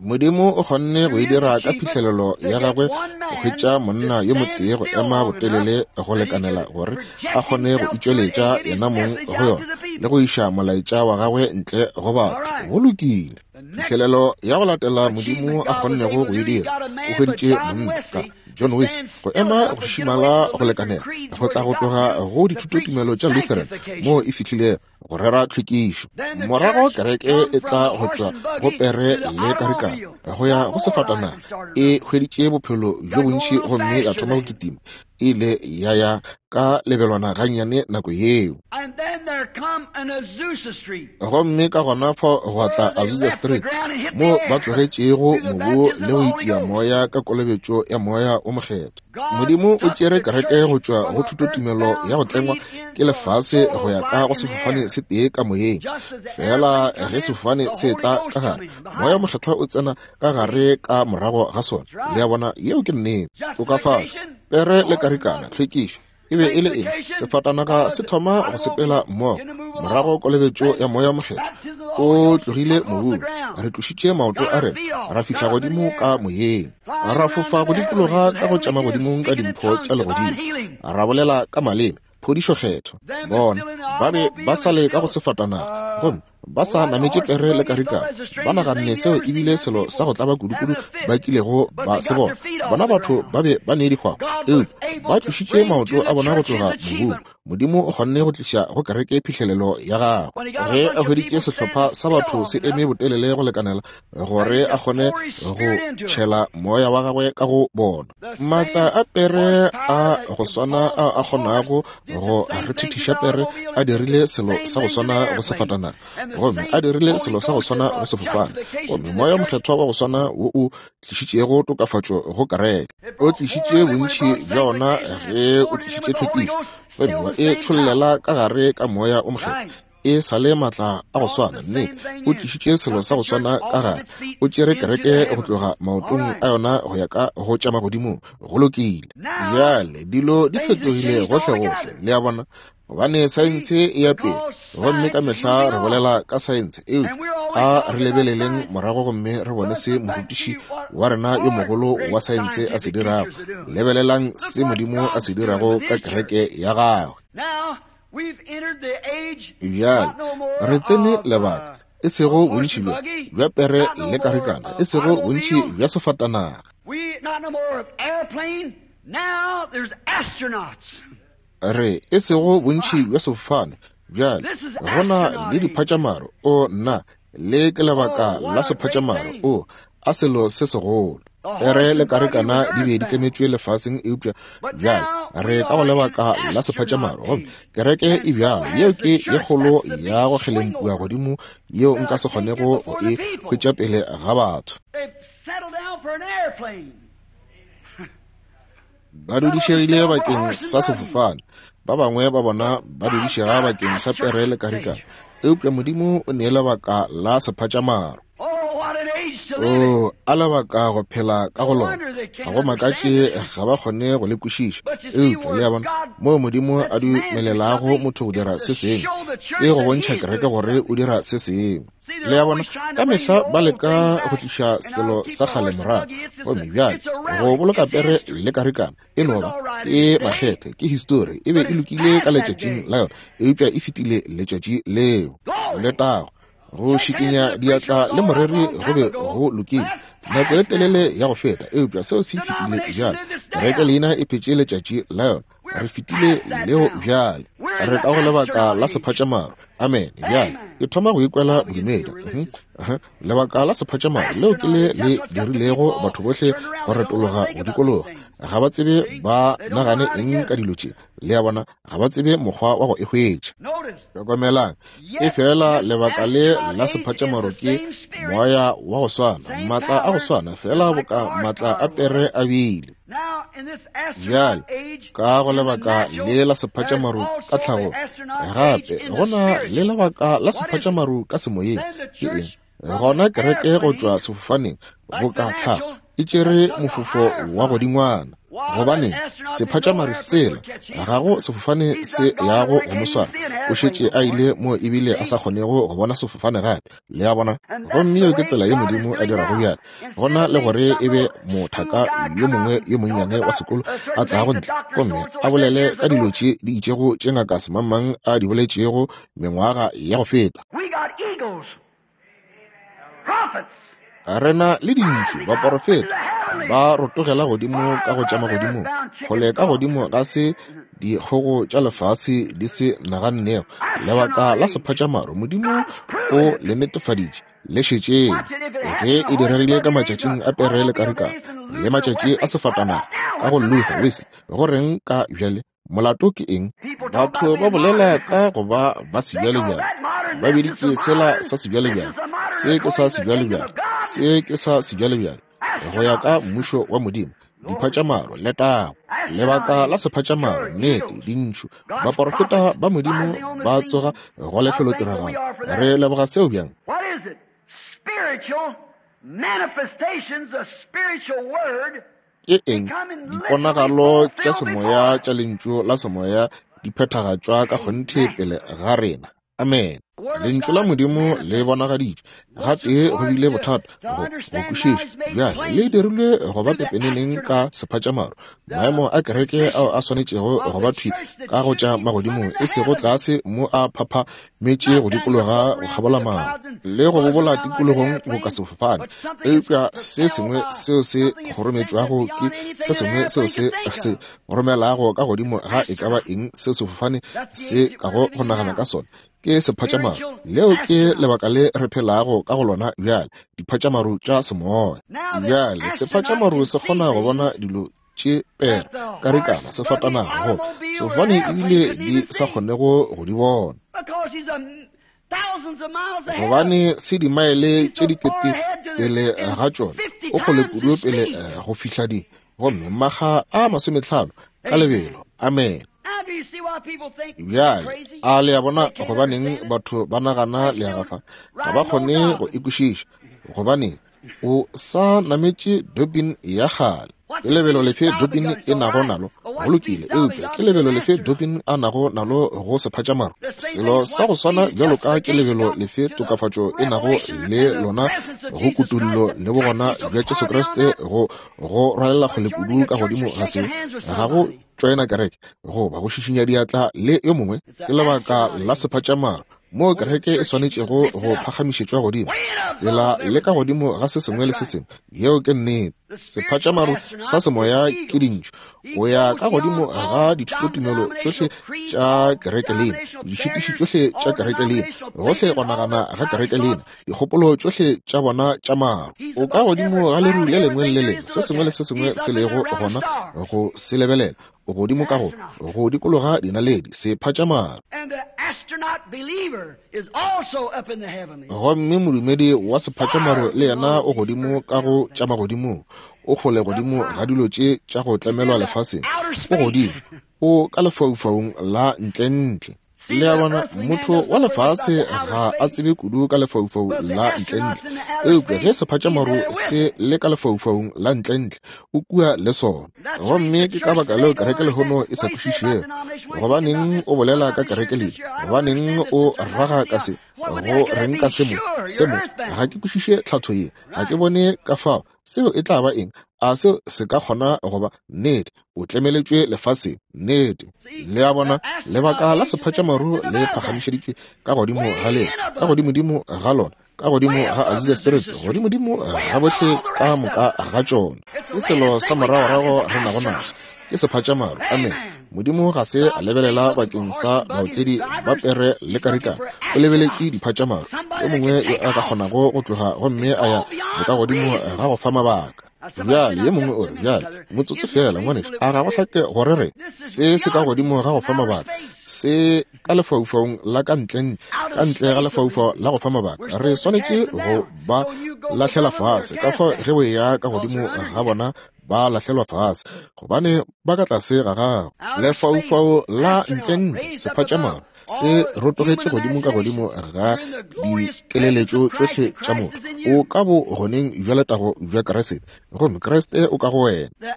Modimo o kgonne go e dira ka phihlelelo ya gagwe go hwetša monna yo motee go ema botelele go lekanela gore a kgone go itšweletša yena mong go yona le go iša molaetša wa gagwe ntle go batho. Go lokile. Phihlelelo ya go latela Modimo a kgonnego go e dira, o hweditše monna ka John Wesley go ema go šišimala go lekanela go tla go tloga go dithutotumelo tša Lutheran moo e fihlilego. go rera tlhwekišo. Morago kereke e tla go tšwa go pere le karikana go ya go sefatanaga, e hweditše bophelo bjo bontši gomme ya thoma go kitima. E ile ya ya ka lebelwana gannyane nako yeo. Gomme ka gona fao gwa tla Azusa Street, mo ba tlogetšego mobu le go itia moya ka kolobetšo ya Moya wo Mokgethwa. Modimo o tšere kereke go tšwa go thutotumelo ya go tlengwa ke lefase go ya ka go sefofane se tee ka moyeng. Fela ge sefofane se tla ka gare, Moya Mokgethwa o tsena ka gare ka morago ga sona. Le a bona, yeo ke nnete. Tokafatšo, pere le karikana, tlhwekišo, e be e le eng? Sefatanaga se thoma go sepela mmogo, morago kolobetšo ya Moya Mokgethwa o tlogile mobung. Re tlošitše maoto a rena, ra fihla godimo ka moyeng, ra fofa go dikologa ka go tša magodimong ka dimpho tša legodimo, ra bolela ka maleme, phodišo kgethwa. Bona ba be ba sa le ka go sefatanaga gomme ba sa nametše pere le karikana. Ba naganne seo e bile selo sa go tlaba kudukudu ba kilego ba se bona. Bona batho ba be ba ne dikgwabo, eupša ba tlošitše maoto a bona go tloga mobung. Modimo o kgonne go tliša go kereke phihlelelo ya gagwe ge a hweditše sehlopha sa batho se eme botelele go lekanela gore a kgone go tšhela moya wa gagwe ka go bona. Maatla a pere a go swana a a kgonago go rethithiša pere a dirile selo sa go swana go sefatanaga, gomme a dirile selo sa go swana go sefofane, gomme Moya Mokgethwa wa go swana wo o tlišitšego tokafatšo go kereke o tlišitše bontši bja ona ge o tlišitše tlhwekišo, gomme wa e tšhollela ka gare ka Moya o Mokgethwa. E sa le maatla a go swana, nnete, o tlišitše selo sa go swana ka gare, o tšere kereke go tloga maotong a yona go ya ka go tša magodimong. Go lokile. Bjale dilo di fetogile gohlegohle, le a bona, gobane saense e ya pele, gomme ka mehla re bolela ka saense, eupša a re lebeleleng morago gomme re bone se morutiši wa rena yo mogolo wa saense a se dirago. Lebelelang se Modimo a se dirago ka kereke ya gagwe. Bjale re tsene lebaka, e sego bontši bjo bja pere le karikana, e sego bontši bja sefatanaga. Re e sego bontši bja sefofane, bjale go na le diphatšamaru. O nna, le ke lebaka la sephatšamaru. O a selo se segolo. Pere le karikana di be di tlemetšwe lefaseng, eupša bjale re ka go lebaka la sephatšamaru, gomme kereke e bjalo. Yeo ke ye kgolo ya go kgelempua godimo yeo nka se kgonego go e hwetša pele ga batho. Ba dudišegile bakeng sa sefofane, ba bangwe ba bona ba dudišega bakeng sa pere le karikana, eupša Modimo o nee lebaka la sephatšamaru. O a lebaka go phela ka go lona. Ga go makatše ga ba kgone go le kwešiša, eupša le a bona moo Modimo a dumelelago motho go dira se sengwe, e go bontšha kereke gore o dira se sengwe. Le a bona, ka mehla ba leka go tliša selo sa kgale morago, gomme bjale go boloka pere le karikana e no ba ke makgethe, ke histori. E be e lokile ka letšatšing la yona, eupša e fetile letšatši leo. Letago! Go šikinya diatla le moreri go be go lokile nako e telele ya go feta, eupša seo se fetile bjale. Kereke leina e phetše letšatši la yona, re fetile leo bjale. Re ka go lebaka la sephatšamaru. Amen. Bjale ke thoma go ikwela bodumedi. Lebaka la sephatšamaru leo ke le le dirilego batho bohle go retologa go dikologa. Ga ba tsebe ba nagane eng ka dilo tše. Le a bona, ga ba tsebe mokgwa wa go e hwetša. Hlokomelang, e fela lebaka le la sephatšamaru ke moya wa go swana, maatla a go swana, fela boka maatla a pere a bile. Bjale ka go lebaka le la sephatšamaru ka tlhago, gape go na le lebaka la sephatšamaru ka semoyeng. Ke eng? Gona kereke go tšwa sefofaneng boka tlhago e tšere mofofo wa godingwana, gobane sephatšamaru sela ga go sefofane se yago go mo swara. O šetše a ile mo ebile a sa kgonego go bona sefofane gape. Le a bona? Gomme yeo ke tsela ye Modimo a dirago bjale. Gona le gore e be mothaka yo mongwe yo monnyane wa sekolo a tlago ntle gomme a bolele ka dilo tše di itšego tše ngaka semangmang a di boletšego mengwaga ya go feta. We got eagles, prophets. Re na le dintšu, baporofeta ba rotogela godimo ka go tša magodimong, kgole ka godimo ga se dikgogo tša lefase di se nagannego. Lebaka la sephatšamaru, Modimo o le netefaditše, le šetšeng. Ge e diregile ka matšatšing a pere le karikana, le matšatši a sefatanaga, ka go Luther, Wesley, go reng ka bjale? Molato ke eng? Batho ba bolela ka go ba ba sebjalebjale. Ba biditše sela sa sebjalebjale. Se ke sa sebjalebjale. Se ke sa sebjalebjale. Go ya ka mmušo wa Modimo, diphatšamaro, letago. Lebaka la sephatšamaro, nnete, dintšhu, baporofeta ba Modimo ba tsoga go lefelotiragalo. Re leboga seo bjang? Spiritual manifestations of spiritual word. Ke eng? Diponagalo tša semoya tša Lentšu la semoya di phethagatšwa ka kgonthe pele ga rena. Amen. Lentšu la Modimo le bonagaditšwe. Gatee go bile bothata go go kwešiša. Bjale le dirilwe go ba pepeneneng ka sephatšamaru. Maemo a kereke ao a swanetšego go ba thwi ka go tša magodimong, e sego tlase mo a phaphametše go dikologa go kgabola maru le go bobola tikologong boka sefofane, eupša se sengwe seo se kgorometšwago ke se sengwe seo se se romelago ka godimo ga e ka ba eng seo sefofane se kago go nagana ka sona, ke sephatšamaru. Leo ke lebaka le re phelago ka go lona bjale, diphatšamaru tša semoya. Bjale sephatšamaru se kgona go bona dilo tše pere, karikana, sefatanaga, goba sefofane ebile di sa kgonego go di bona, gobane se dimaele tše dikete pele ga tšona, o kgole kudu pele go fihla di, gomme makga a 50 ka lebelo. Amen. Bjale a le a bona gobaneng batho ba nagana le a gafa? Ga ba kgone go e kwešiša. Gobaneng o sa nametše dopin ya kgale? Ke lebelo lefe dopin e nago nalo? Go lokile, eupša ke lebelo lefe dopin a nago nalo go sephatšamaru? Selo sa go swana bjalo ka ke lebelo lefe tokafatšo e nago le lona go kutullo le bogona bja Jesu Kriste go go rwalela kgole kudu ka godimo ga seo, ga go tšoena kereke goba go šišinya diatla le yo mongwe. Ke lebaka la sephatšamaru moo kereke e swanetšego go phagamišetšwa godimo, tsela le ka godimo ga se sengwe le se sengwe. Yeo ke nnete. Sephatšamaru sa semoya ke dintšu o ya ka godimo ga dithutotumelo tšohle tša kerekelina, ditšhitiši tšohle tša kerekelina, gohle go nagana ga kerekelina, dikgopolo tšohle tša bona tša maru. O ka godimo ga leru le lengwe le lengwe, se sengwe le se sengwe se lego gona go se lebelela. O godimo ka go go dikologa dinaledi, sephatšamaru. Gomme modumedi wa sephatšamaru le yena o godimo ka go tša magodimong, o kgole godimo ga dilo tše tša go tlemelwa lefaseng, o godimo, o ka lefaufaung la ntlentle. Le a bona, motho wa lefase ga a tsebe kudu ka lefaufau la ntlentle, eupša ge sephatšamaru se le ka lefaufaung la ntlentle, o kua le sona. Gomme ke ka baka leo kereke lehono e sa kwešišego. Gobaneng o bolela ka kereke lena? Gobaneng o raga ka se? Go reng ka se mo? Se mo? Ga ke kwešiše tlhatho ye. Ga ke bone ka fao seo e tla ba eng. A seo se ka kgona go ba nnete? O tlemeletšwe lefaseng. Nnete. Le a bona, lebaka la sephatšamaru le phagamišeditšwe ka godimo ga lena, ka godimodimo ga lona, ka godimo ga Azusa Street, godimodimo ga bohle ka moka ga tšona. Ke selo sa moragorago re nago naso, ke sephatšamaru. Amen. Modimo ga se a lebelela bakeng sa baotledi ba pere le karikana, o lebeletše diphatšamaru, yo mongwe yo a ka kgonago go tloga gomme a ya bokagodimo ga go fa mabaka. Bjale ye mongwe o re, bjale motsotso feela, ngwanešu, a ga go hlake gore re se se ka godimo ga go fa mabaka, se ka lefaufaung la ka ntle, ka ntle ga lefaufau la go fa mabaka, re swanetše go ba lahlela fase. Ka fao ge o eya ka godimo ga bona, ba lahlelwa fase, gobane ba ka tlase ga gago. Lefaufau la ntlentle, sephatšamaru, se rotogetše godimo ka godimo ga dikeleletšo tšohle tša motho. O ka bo goneng bja letago bja Kriste, gomme Kriste o ka go wena.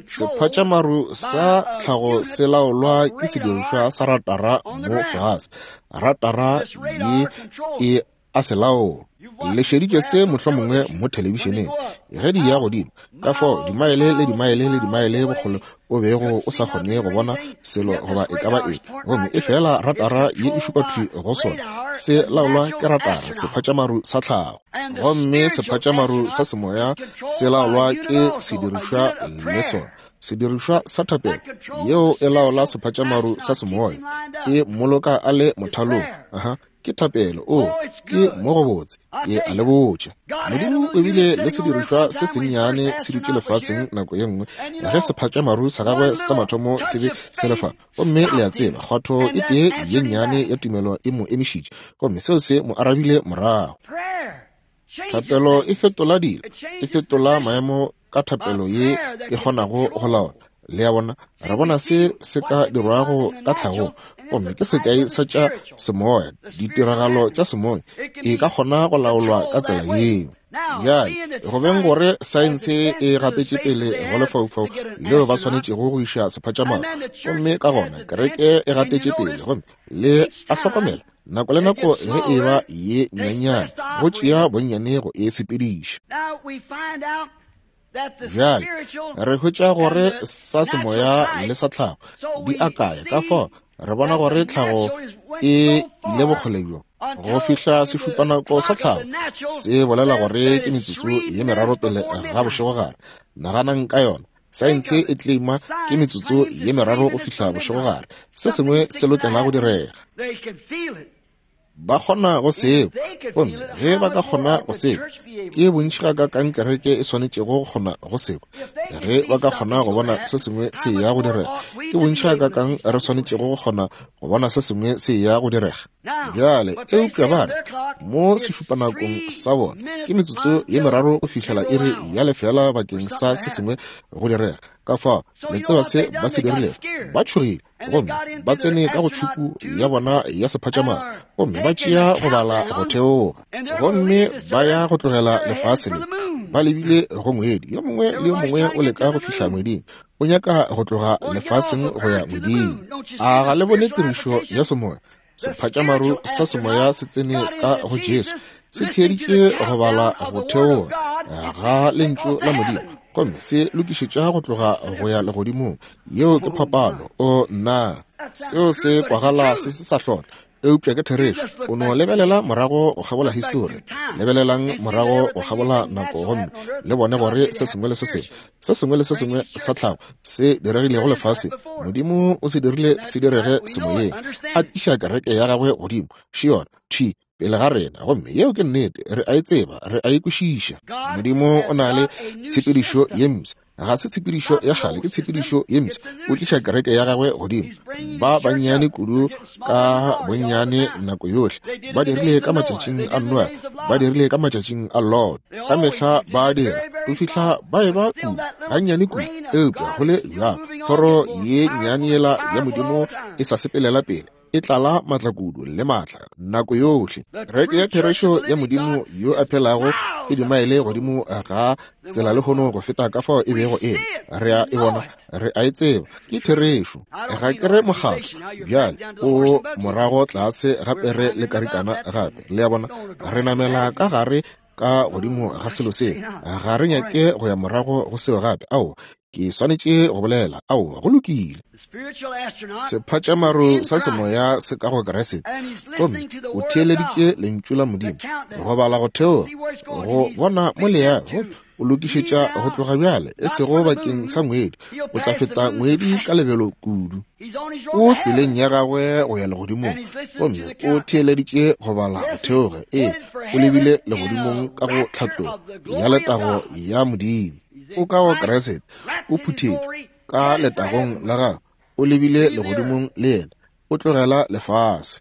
Sephatšamaru sa tlhago se laolwa ke sedirišwa sa ratara mo fase. Ratara ye e a se laola. Le šeditše se mohlomongwe mo thelebišeneng ge di ya godimo, ka fao dimaele le dimaele le dimaele bokgole o bego o sa kgone go bona selo goba e ka ba eng, gomme e fela ratara ye e šupa thwi go sona. Se laolwa ke ratara, sephatšamaru sa tlhago. Gomme sephatšamaru sa semoya se laolwa ke sedirišwa le sona. Sedirišwa sa thapelo yeo e laola sephatšamaru sa semoya, e mmoloka a le mothalong. Aha, ke thapelo. O, ke mo go botse, ke a le botša. Modimo o bile le sedirišwa se sennyane se dutše lefaseng nako ye nngwe ge sephatšamaru sa gagwe sa mathomo se be se le fa. Gomme le a tseba, kgwatho e tee ye nnyane ya tumelo e mo emišitše, gomme seo se mo arabile morago. Thapelo e fetola dilo, e fetola maemo ka thapelo ye e kgonago go laola. Le a bona, re bona se se ka dirwago ka tlhagong, gomme ke sekai sa tša semoya, ditiragalo tša semoya e ka kgona go laolwa ka tsela yeo. Bjale, go beng gore saense e gatetše pele go lefaufau leo ba swanetšego go iša sephatšamaru, gomme ka gona kereke e gatetše pele, gomme le a hlokomela nako le nako ge e ba ye nnyanyane go tšea bonnyane go e sepediša. Bjale re hwetša gore sa semoya le sa tlhago di akaya, ka fao re bona gore tlhago e ile bokgole bjo go fihla sešupanako sa tlhago se bolela gore ke metsotso ye meraro pele ga bošegogare. Naganang ka yona. Saense e claima ke metsotso ye meraro go fihla bošegogare. Se sengwe se lokela go direga. Ba kgona go seo, gomme ge ba ka kgona go seo, ke bontši ga ka kang kereke e swanetšego go kgona go seo. Ge ba ka kgona go bona se sengwe se ya go direga, ke bontši ga ka kang re swanetšego go kgona go bona se sengwe se ya go direga. Bjale, eupša ba re mo sešupanakong sa bona ke metsotso ye meraro go fihlela iri ya lefela bakeng sa se sengwe go direga. Ka fao le tseba se ba se dirilego? Ba tšhogile gomme ba tsene ka go tšhupu ya bona ya sephatšamaru, gomme ba tšea go bala go theoga, gomme ba ya go tlogela lefase le ba lebile go ngwedi. Yo mongwe le yo mongwe o leka go fihla ngweding, o nyaka go tloga lefaseng go ya ngweding. A ga le bone tirišo ya semoya? Sephatšamaru sa semoya se tsene ka go Jesu, se theeditše go bala go theoga ga lentšu la Modimo, gomme se lokišetša go tloga go ya legodimong. Yeo ke phapano. O nna, seo se kwagala se se sa hlola, eupša ke therešo. O no lebelela morago go kgabola histori, lebelelang morago go kgabola nako, gomme le bone gore se sengwe le se sengwe, se sengwe le se sengwe sa tlhago se diregilego lefaseng, Modimo o se dirile se direge semoyeng, a tliša kereke ya gagwe godimo. Še yona thwi pele ga rena, gomme yeo ke nnete. Re a e tseba, re a e kwešiša. Modimo o na le tshepedišo ye mpsha. Ga se tshepedišo ya kgale, ke tshepedišo ye mpsha. O tliša kereke ya gagwe godimo. Ba bannyane kudu ka bonnyane nako yohle. Ba dirile ka matšatšing a Noa, ba dirile ka matšatšing a Lot. Ka mehla ba dira go fihla ba eba kudu, gannyane kudu. Eupša go le bjalo, thoro ye nnyane yela ya Modimo e sa sepelela pele, e tlala matla kudu le matla nako yohle. Kereke ya therešo ya Modimo yo a phelago e dimaele godimo ga tsela lehono go feta ka fao e bego e le. Re a e bona, re a e tseba, ke therešo. Ga ke re mokgatlo bjale o morago tlase gape re le karikana gape. Le a bona, re namela ka gare ka godimo ga selo seo. Ga re nyake go ya morago go seo gape. Aowa, ke swanetše go bolela. Aowa, go lokile. Sephatšamaru sa semoya se ka go Kriste, gomme o theeleditše lentšu la Modimo go bala go theoga go bona mo le yago. O lokišetša go tloga bjale, e sego bakeng sa ngwedi. O tla feta ngwedi ka lebelo kudu. O tseleng ya gagwe go ya legodimong, gomme o theeleditše go bala go theoga. Ee, o lebile legodimong ka go tlhatlogo ya letago ya Modimo. O ka go Kriste, o phuthetšwe ka letagong la gagwe, o lebile legodimong le yena, o tlogela lefase.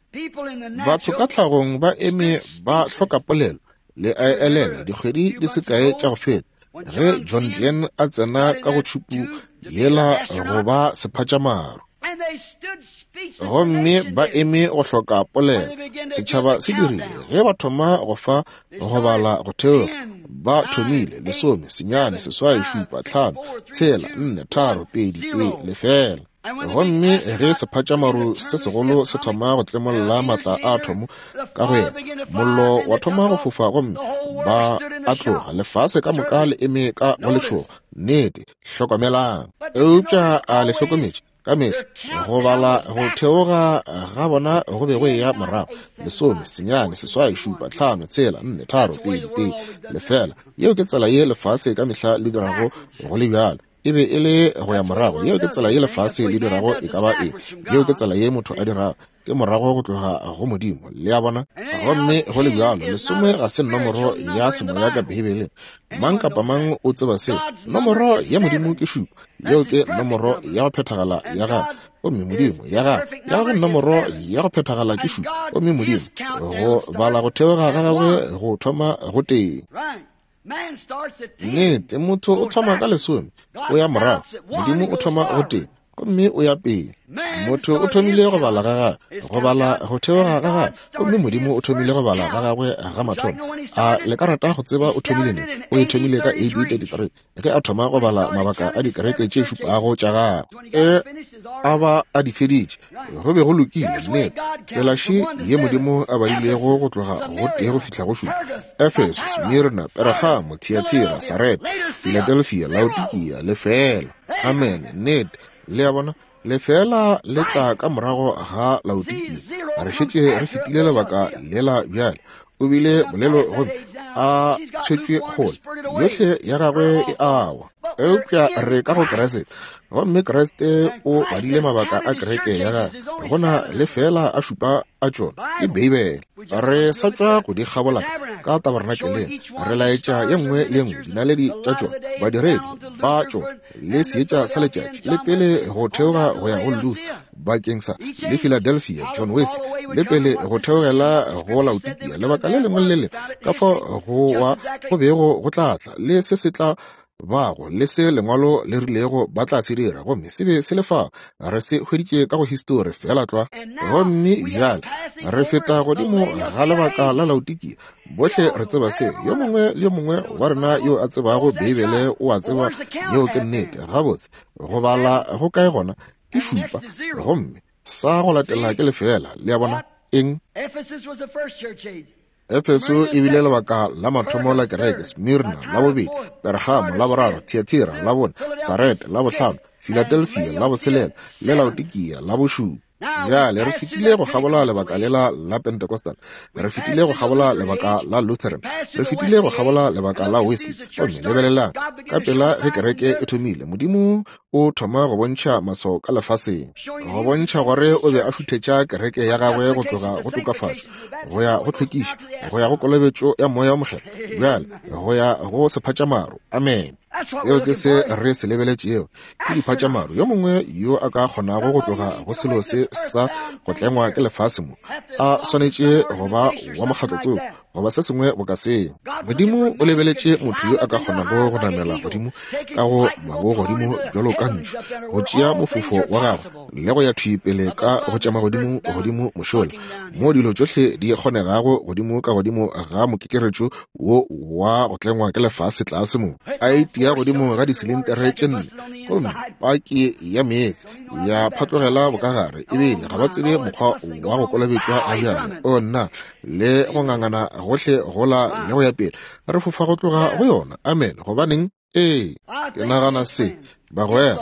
Batho ka tlhagong ba eme ba hloka polelo. Le a elelwa dikgwedi di se kae tša go feta ge John Glenn a tsena ka go tšhupu yela go ba sephatšamaru, gomme ba eme go hloka polelo. Setšhaba se dirile ge ba thoma go fa go bala go theoga, ba thomile 10, 9, 8, 7, 5, 4, 3, 2, 1, 0. Gomme ge sephatšamaru se segolo se thoma go tlemolla maatla a athomo ka go yena, mollo wa thoma go fofa gomme ba a tloga, lefase ka moka le eme ka go letšhogo. Nnete, hlokomelang. Eupša a le hlokometše? Ka mehla go bala go theoga ga bona go be go eya morago, 10, 9, 8, 7, 5, 4, 3, 2, 1, 0. Yeo ke tsela ye lefase ka mehla le dirago go le bjalo. E be e le go ya morago. Yeo ke tsela ye lefase le dirago e ka ba eng. Yeo ke tsela ye motho a dirago, ke morago go tloga go Modimo. Le a bona? Gomme go le bjalo, 10 ga se nomoro ya semoya ka Beibeleng. Mang kapa mang o tseba seo. Nomoro ya Modimo ke 7. Yeo ke nomoro ya go phethagala ya gagwe. Gomme Modimo ya gagwe, ya gagwe nomoro ya go phethagala ke 7. Gomme Modimo, go bala go theoga ga gagwe go thoma go tee. Nnete, motho o thoma ka 10, o ya morago. Modimo o thoma go tee, gomme o ya pele. Motho o thomile go bala ga gagwe, go bala go theoga ga gagwe, gomme Modimo o thomile go bala ga gagwe ga mathomo. A le ka rata go tseba o thomile neng? O e thomile ka AD 33, ge a thoma go bala mabaka a dikereke tše šupago tša gagwe. A ba a di feditše, go be go lokile. Nnete, tsela še ye Modimo a badilego go tloga go tee go fihla go šupa: Efeso, Smirna, Pergamo, Thiatira, Sarete, Philadelphia, Laodikia, lefela. Amene. Nnete. Le a bona? Lefela le tla ka morago ga Laodikia. Re šetše re fetile lebaka lela bjale. O bile bolelo gomme a tshwetšwe kgole, yohle ya gagwe e awa. Eupša re ka go Kriste, gomme Kriste o badile mabaka a kereke ya gagwe. Go na le fela a šupa a tšona, ke Beibele. Re sa tšwa go di kgabola ka tabernakeleng, re laetša ye nngwe le ye nngwe dinaledi tša tšona, badiredi ba tšona, le seetša sa letšatši, le pele go theoga go ya go Luther bakeng sa le Philadelphia, John Wesley, le pele go theogela go Laodikia, lebaka le lengwe le le ka fao go wa go bego go tla tla, le se se tla bago, le se lengwalo le rilego ba tla se dira, gomme se be se le fao. Re se hweditše ka go histori feela tlwa. Gomme bjale re feta godimo ga lebaka la Laodikia. Bohle re tseba seo. Yo mongwe le yo mongwe wa rena yo a tsebago Beibele o a tseba yeo ke nnete. Gabotse, go bala go kae gona? Ke 7, gomme sa go latela ke lefela. Le a bona? Eng? Efeso e bile lebaka la mathomo la kereke, Smirna la bobedi, Pergamo la boraro, Thiatira la bone, Sarete la bohlano, Philadelphia la boselela, le Laodikia la bošupa. Bjale re fetile go kgabola lebaka lela la Pentecostal, re fetile go kgabola lebaka la Lutheran, re fetile go kgabola lebaka la Wesley. Gomme lebelelang, ka pela ge kereke e thomile, Modimo o thoma go bontšha maswao ka lefaseng, go bontšha gore o be a šuthetša kereke ya gagwe go tloga go tokafatšo go ya go tlhwekišo, go ya go kolobetšo ya Moya o Mokgethwa, bjale go ya go sephatšamaru. Amen. Seo ke se re se lebeletšego, ke diphatšamaru. Yo mongwe yo a ka kgonago go tloga go selo se sa go tlengwa ke lefase mo, a swanetše go ba wa mokgatlo tsoko goba se sengwe boka seo. Modimo o lebeletše motho yo a ka kgonago go namela godimo ka go mabogodimo bjalo ka ntšhu, go tšea mofofo wa gagwe le go ya thwi pele ka go tša magodimo godimo mošola, mo dilo tšohle di kgonegago, godimo ka godimo ga mokekeretšo wo wa go tlengwa ke lefase tlase mo, a itia godimo ga disilintere tše 4, gomme paki ya meetse ya phatlogela bokagare, ebile ga ba tsebe mokgwa wa go kolobetšwa ga bjale. O nna, le go ngangana gohle gola le go ya pele, re fofa go tloga go yona. Amen. Gobaneng? Ee, ke nagana se, bagwera,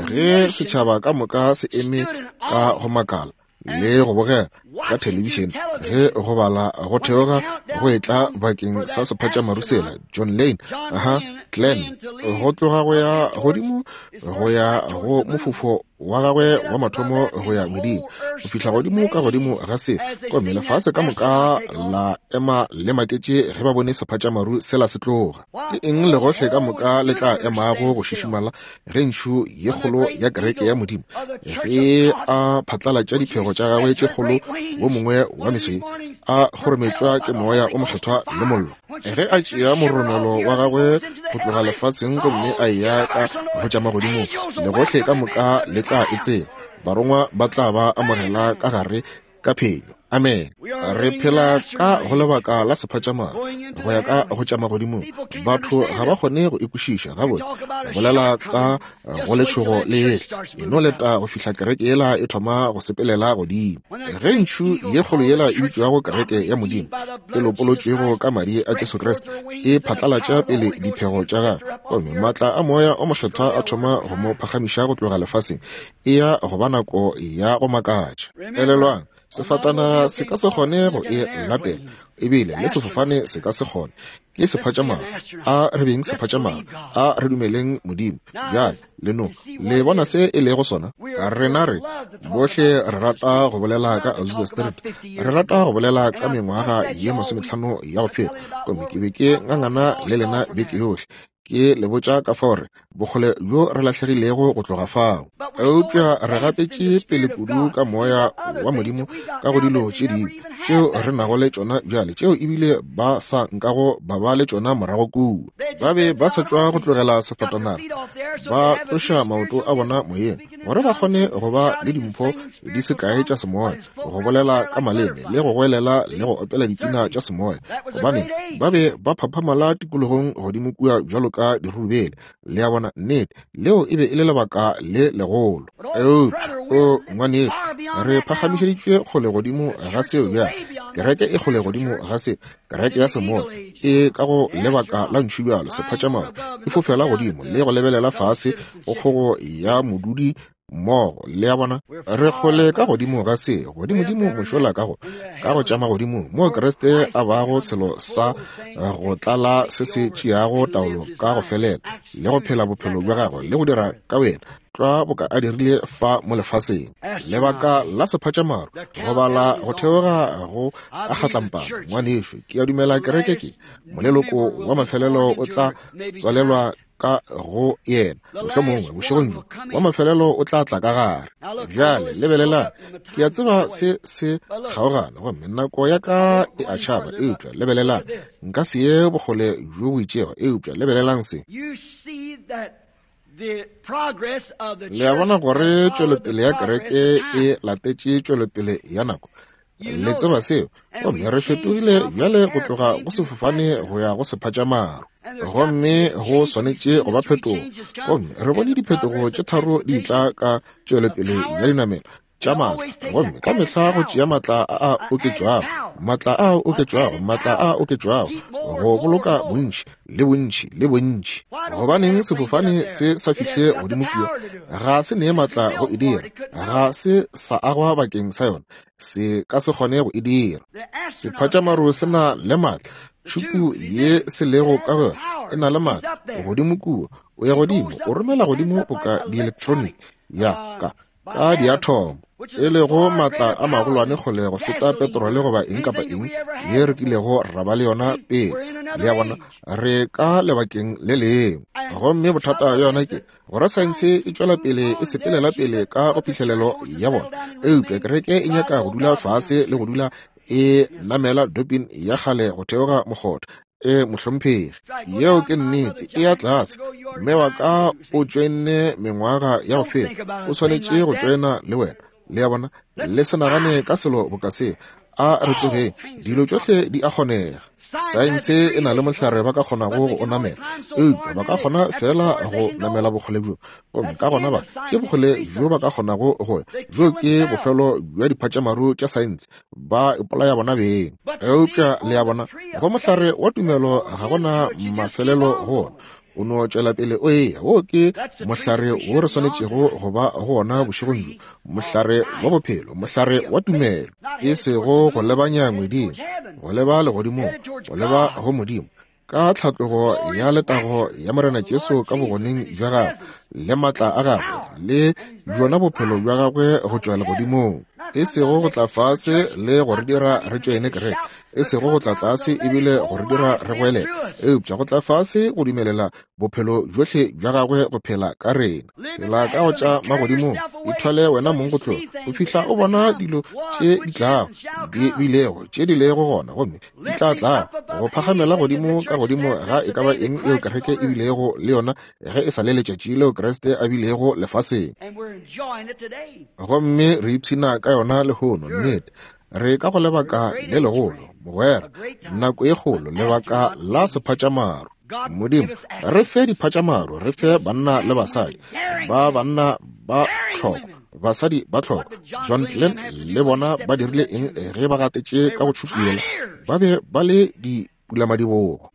ge setšhaba ka moka se eme ka go makala le go bogela ka thelebišene ge go bala go theoga go etla bakeng sa sephatšamaru sela, John Lane, aha, Glenn, go tloga go ya godimo go ya go mofofo wa gagwe wa mathomo go ya ngweding, go fihla godimo ka godimo ga se, gomme lefase ka moka la ema le maketše ge ba bone sephatšamaru sela se tloga. Ke eng legohle ka moka le tla emago go šišimala ge ntšhu ye kgolo ya kereke ya Modimo ge a phatlalatša diphego tša gagwe tše kgolo wo mongwe wa meswe a kgorometšwa ke Moya o Mokgethwa le mollo, ge a tšea moromelo wa gagwe go tloga lefaseng gomme a eya ka go tša magodimong, legohle ka moka le tla e tseba. Barongwa ba tla ba amogela ka gare ka phenyo. Amene. Re phela ka go lebaka la sephatšamaru, go ya ka go tša magodimong. Batho ga ba kgone go e kwešiša gabotse. Go bolela ka go letšhogo le etla, e no leta go fihla kereke yela e thoma go sepelela godimo. Ge ntšhu ye kgolo yela e bitšwago kereke ya Modimo, e lopolotšwego ka madi a Jesu Kriste, e phatlalatša pele diphego tša gagwe, gomme maatla a Moya o Mokgethwa a thoma go mo phagamiša go tloga lefaseng, e ya go ba nako ya go makatša. Elelwang, sefatana se ka se kgone go e latela, ebile le sefofane se ka se kgone. Ke sephatšamaru. A re beng sephatšamaru. A re dumeleng Modimo. Bjale, le no le bona se e lego sona. Rena re bohle re rata go bolela ka Azusa Street, re rata go bolela ka mengwaga ye 50 ya go feta, gomme ke be ke ngangana le lena beke yohle, ke le botša ka fao re bokgole bjo re lahlegilego go tloga fao. Eupša re gatetše pele kudu ka moya wa Modimo ka go dilo tše dingwe tšeo re nago le tšona bjale, tšeo ebile ba sa nkago ba ba le tšona morago kua. Ba be ba sa tšwa go tlogela sefatanaga, ba tloša maoto a bona moyeng gore ba kgone go ba le dimpho di se kae tša semoya, go bolela ka maleme le go goelela le go opela dipina tša semoya, gobane ba be ba phaphamala tikologong godimo kua bjalo ka dirurubele. Le a bona? Nnete, leo e be e le lebaka le legolo. Eupša, o ngwanešu, re phagamišeditšwe kgole godimo ga seo bjale. Kereke e kgole godimo ga seo. Kereke ya semoya e ka go lebaka la ntšhu bjalo, sephatšamaru, e fofela godimo le go lebelela fase go kgogo ya modudi mmogo. Le a bona? Re kgole ka godimo ga se, godimodimo mošola ka go, ka go tša magodimong, moo Kriste a bago selo sa go tlala se se tšeago taolo ka go felela, le go phela bophelo bja gagwe le go dira ka wena tlwa boka a dirile fa mo lefaseng. Lebaka la sephatšamaru, go bala go theoga go a kgatlampana, ngwanešu, ke a dumela kereke ke moleloko wa mafelelo o tla tswalelwa ka go yena, mohlomongwe bošegong bjo wa mafelelo o tla tla ka gare. Bjale lebelelang, ke a tseba se se kgaogana gomme nako ya ka e a tšhaba, eupša lebelelang, nka se ye bokgole bjo bo itšego, eupša lebelelang se. Le a bona gore tšwelopele ya kereke e latetše tšwelopele ya nako. Le tseba seo. Gomme re fetogile bjale go tloga go sefofane go ya go sephatšamaru, gomme go swanetše go ba phetogo. Gomme re bone diphetogo tše tharo di tla ka tšwelopele ya dinamelo tša maatla, gomme ka mehla go tšea maatla a a oketšwago, maatla a a oketšwago, maatla a a oketšwago, go boloka bontši le bontši le bontši. Gobaneng sefofane se sa fihle godimo kua? Ga se nee maatla go e dira, ga se sa agwa bakeng sa yona, se ka se kgone go e dira. Sephatšamaru se na le maatla, tšhupu ye se lego ka go yona e na le maatla godimo kua. O ya godimo, o romela godimo boka di-electronic ya ka ka diathomo, e lego maatla a magolwane kgole go feta petrole goba eng kapa eng ye re kilego ra ba le yona pele. Le a bona, re ka lebakeng le lengwe. Gomme bothata bja yona ke gore saense e tšwela pele e sepelela pele ka go phihlelelo ya bona, eupša kereke e nyaka go dula fase le go dula e namela dopin ya kgale go theoga mokgotha. E mohlomphegi, yeo ke nnete, e ya tlase. Mme wa ka o tšoenne mengwaga ya go feta, o swanetše go tšoena le wena. Le a bona? Le se nagane ka selo boka se. A re tsogeng, dilo tšohle di a kgonega. Saense e na le mohlare ba ka kgonago go o namela, eupša ba ka kgona feela go namela bokgole bjo, gomme ka gona ba ke bokgole bjo ba ka kgonago go ya. Bjo ke bofelo bja diphatšamaru tša saense, ba ipolaya bona beng. Eupša le a bona, go mohlare wa tumelo ga go na mafelelo go ona, o no tšwela pele o eya. Wo ke mohlare wo re swanetšego go ba go ona bošegong bjo, mohlare wa bophelo, mohlare wa tumelo, e sego go lebanya ngweding, go leba legodimong, go leba go Modimo, ka tlhatlogo ya letago ya Morena Jesu ka bogoneng bja gagwe le maatla a gagwe le bjona bophelo bja gagwe go tšwa legodimong, e sego go tla fase le go re dira re tšoene kereke, e sego go tla tlase ebile go re dira re goelele, eupša go tla fase go dumelela bophelo bjohle bja gagwe go phela ka rena. Phela ka go tša magodimong, ithwale wena mong go tloga go fihla o bona dilo tše di tlago, di bilego, tše di lego gona, gomme di tla tlago go phagamela godimo ka godimo ga e ka ba eng eo kereke e bilego le yona ge e sa le letšatši leo Kriste a bilego lefaseng. Gomme re ipshina ka yona lehono. Nnete. Re ka go lebaka le legolo, mogwera, nako e kgolo, lebaka la sephatšamaru. Modimo, re fe diphatšamaru, re fe banna le basadi, ba banna ba tlhoko, basadi ba tlhoko. John Glenn le bona ba dirile eng ge ba gatetše ka go tšhupela? Ba be ba le dipulamadibogo.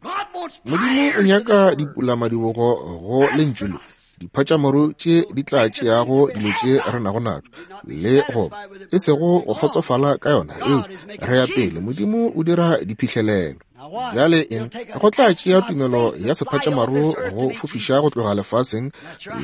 Modimo o nyaka dipulamadibogo go lentšu le, diphatšamaru tše di tla tšeago dilo tše re nago natšo le go e sego go kgotsofala ka yona, eupša re ya pele. Modimo o dira diphihlelelo. Bjale eng? Go tla tšea tumelo ya sephatšamaru go fofiša go tloga lefaseng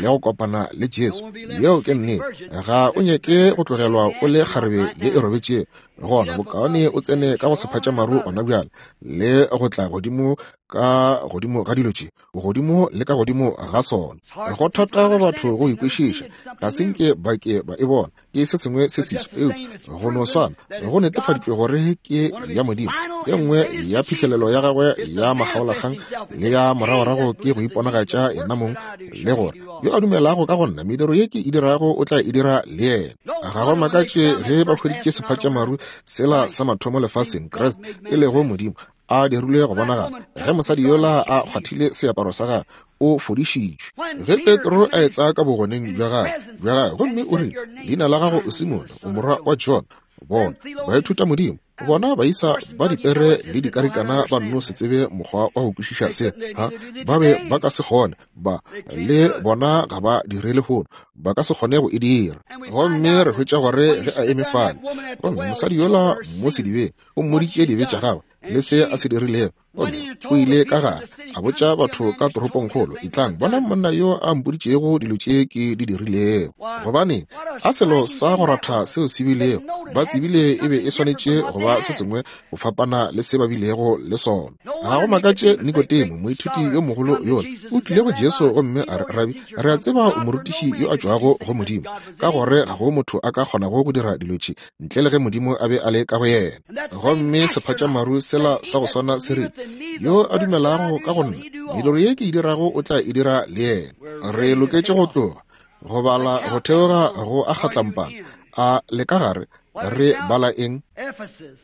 le go kopana le Jesu. Yeo ke nnete. Ga o nyake go tlogelwa o le kgarebe ye e robetšego. Gona bokaone o tsene ka go sephatšamaru gona bjale le go tla godimo ka godimo ga dilo tše, godimo le ka godimo ga sona. Go thata go batho go ikwešiša, ga se nke ba ke ba e bona, ke se sengwe se seswa, eupša go no swana go netefaditšwe gore ke ya Modimo. E nngwe ya phihlelelo ya gagwe ya makgaolakgang le ya moragorago ke go iponagatša yena mong, le gore yo a dumelago ka go nna, mediro ye ke e dirago o tla e dira le yena. Ga go makatše ge ba hweditše sephatšamaru sela sa mathomo lefaseng, Kriste e lego Modimo a dirilwe go bonagala. Ge mosadi yola a kgwathile seaparo sa gagwe, o fodišitšwe. Ge Petro a etla ka bogoneng bja gagwe gomme o rile, leina la gago o Simone, o morwa wa John. Bona baithuta Modimo, bona baisa ba dipere le dikarikana ba nno se tsebe mokgwa wa go kwešiša se. Ha ba be ba ka se kgone, ba le bona ga ba dire lehono, ba ka se kgone go e dira. Gomme re hwetša gore ge a eme fale, gomme mosadi yola mo sedibeng o mmoditše dibe tša gagwe le se a se dirilego, gomme o ile ka gare a botša batho ka toropongkgolo, etlang bonang monna yo a mpoditšego dilo tše ke di dirilego. Gobane a selo sa go ratha seo se bilego, ba tsebile e be e swanetše go ba se sengwe go fapana le se ba bilego le sona. Ga go makatše Nikodemo, moithuti yo mogolo yola, o tlile go Jesu gomme a re, Rabi, re a tseba o morutiši yo a tšwago go Modimo, ka gore ga go motho a ka kgonago go dira dilo tše ntle le ge Modimo a be a le ka go yena. Gomme sephatšamaru sela sa go swana se rile, yo a dumelago ka go nna, mediro ye ke e dirago o tla e dira le yena. Re loketše go tloga, go bala go theoga go a kgatlampana a le ka gare. Re bala eng? Ephesus,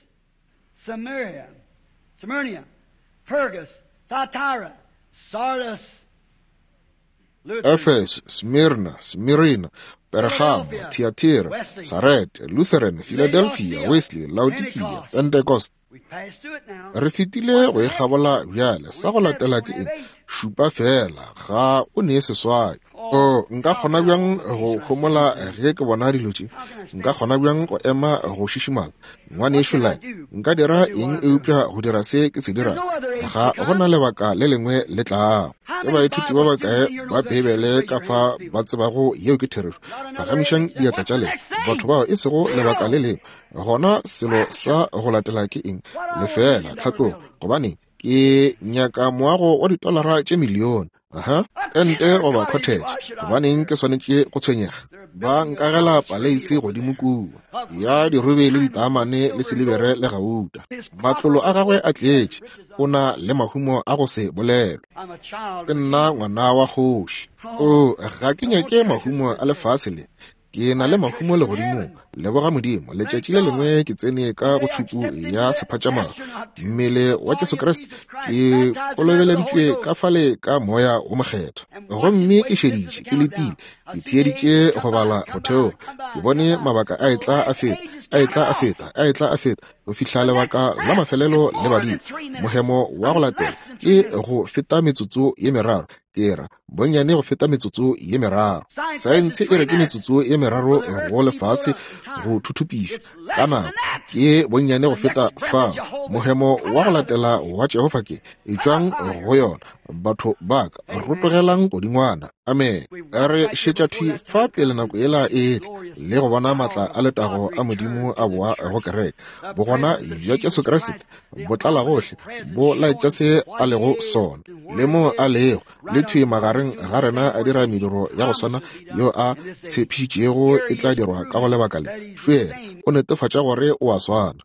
Samaria, Smyrna, Pergas, Thyatira, Sardis, Efeso, Smyrna, Smyrna, Pergamo, Thyatira, Sarete, Lutheran, Philadelphia, Wesley, Laodikia, Pentecost. Re fetile go e kgabola bjale. Sa go latela ke eng? Šupa fela, ga o ne seswai. O, nka kgona bjang go homola ge ke bona dilo tše? Nka kgona bjang go ema go šišimala? Ngwanešu Lyle, nka dira eng eupša go dira se ke se dirago? Ga go na lebaka le lengwe le tlago. Ke baithuti ba bakae ba Beibele ka fa ba tsebago yeo ke therešo? Phagamišang diatla tša lena. Batho bao e sego lebaka le lengwe. Gona selo sa go latela ke eng? Lefeela, tlhatlogo. Gobane ke nyaka moago wa ditolara tše milione. Aha, tente goba cottage. Gobaneng ke swanetše go tshwenyega? Ba nkagela paleisi godimo kua ya dirube le ditaamane le silibere le gauta. Matlolo a gagwe a tletše, o na le mahumo a go se bolelwe. Ke nna ngwana wa kgoši. O, ga ke nyake mahumo a lefase le. Ke na le mahumo legodimong. Leboga Modimo, letšatši le lengwe ke tsene ka go tšhupu ya sephatšamaru, mmele wa Jesu Kriste, ke kolobeleditšwe ka fale ka Moya wo Mokgethwa. Gomme ke šeditše, ke letile, ke theeditše go bala go theoga, ke bone mabaka a etla a feta, a etla a feta, a etla a feta, go fihla lebaka la mafelelo le badile. Mohemo wa go latela ke go feta metsotso ye meraro, ke ra bonnyane go feta metsotso ye meraro. Saense e re ke metsotso ye meraro go lefase go thuthupišwa ka nako, ke bonnyane go feta fao. Mohemo wa go latela wa Jehofa ke etšwang go yona, batho ba ka, rotogelang godingwana. Amen. Re šetša thwi fa pele nako yela e etla le go bona maatla a letago a Modimo a boa go kereke. Bogona bja Jesu Kriste bo tlala gohle, bo laetša se a lego sona le mo a lego, le thwi magareng ga rena a dira mediro ya go swana yo a tshepišitšego e tla dirwa ka go lebaka le. Fela o netefatša gore o a swana.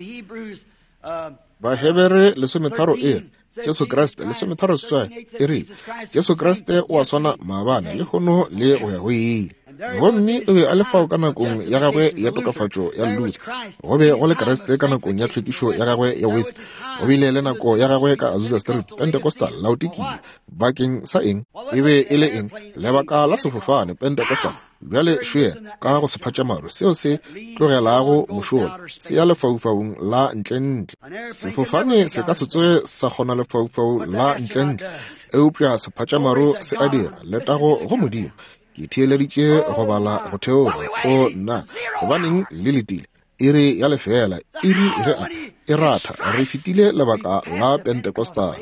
Bahebere 13 e re Jesu Kriste 13 e rile Jesu Kriste o a swana maabane, lehono le go ya go ile. Gomme o be a le fao ka nakong ya gagwe ya tokafatšo ya Luther. Go be go le Kriste ka nakong ya tlhwekišo ya gagwe ya Wesley. Go bile le nako ya gagwe ka Azusa Street, Pentecostal, Laodikia. Bakeng sa eng? E be e le eng? Lebaka la sefofane, Pentecostal. Bjale šwea ka go sephatšamaru seo se tlogelago mošola se ya lefaufaung la ntlentle. Sefofane se ka se tsoge sa kgona lefaufau la ntlentle, eupša sephatšamaru se a dira. Letago go Modimo. Ke theeleditše go bala go theoga. O nna, gobaneng le letile? Iri ya lefeela, iri ge a e ratha. Re fetile lebaka la Pentecostal.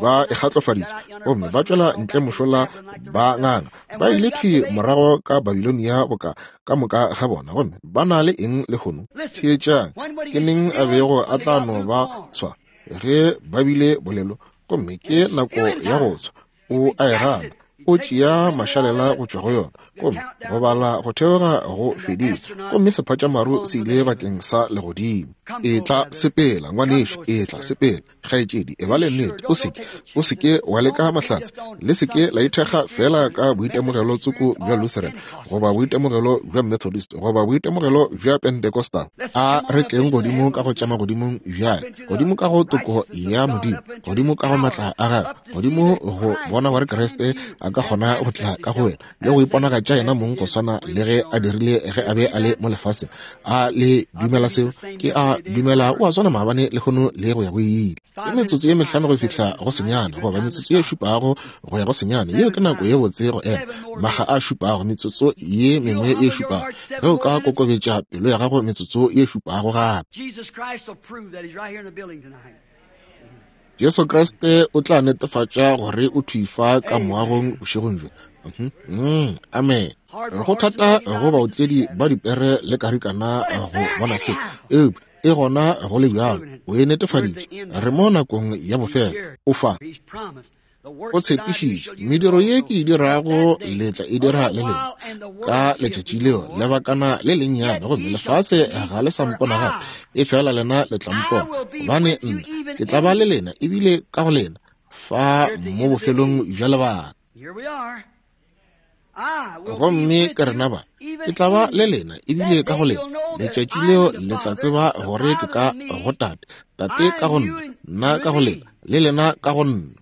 Ba e kgatlofaditše gomme ba tšwela ntle mošola ba nganga. Ba ile thwi morago ka Babilonia boka ka moka ga bona, gomme ba na le eng lehono? Theetšang, ke neng a bego a tla no ba tshwa ge ba bile bolelo, gomme ke nako ya go tshwa. O a e gana, o tšea mašalela go tšwa go yona, gomme go bala go theoga go fedile, gomme sephatšamaru se ile bakeng sa legodimo. Etla sepela, ngwanešu, etla sepela, kgaetšedi, e ba le nnete, o seke, o seke wa leka mahlatse, le seke la ithekga fela ka boitemogelo tsoko bja Lutheran, goba boitemogelo bja Methodist, goba boitemogelo bja Pentecostal. A re tleng godimo ka go tša magodimong bjale, godimo ka go toko ya Modimo, godimo ka go matla a gagwe, godimo go bona gore Kriste a ka kgona go tla ka go wena le go iponagatša yena mong go swana le ge a dirile ge a be a le mo lefaseng. A le dumela seo? Ke a dumela o a swana maabane lehono le go ya go ile. Ke metsotso ye 5 go fihla go senyane, goba metsotso ye 7 go ya go senyane. Yeo ke nako ye botse go ema. Maga a 7, metsotso ye mengwe ye 7. Ge o ka kokobetša pelo ya gago metsotso ye 7 gape. Jesu Kriste o tla netefatša gore o thwi fa ka moagong bošegong bjo. Amen. Go thata go baotledi ba dipere le karikana go bona se, eupša e gona go le bjalo. O e netefaditše. Re mo nakong ya bofelo. O fa. O tshepišitše, mediro ye ke e dirago le tla e dira le lena ka letšatši leo, lebakana le lennyane, gomme lefase ga le sa mpona gape, e fela lena le tla mpona, gobane nna ke tla ba le lena ebile ka go lena fa mo bofelong bja lebaka. Gomme ke rena ba, ke tla ba le lena ebile ka go lena. Letšatši leo le tla tseba gore ke ka go Tate, Tate ka go nna, nna ka go lena, le lena ka go nna.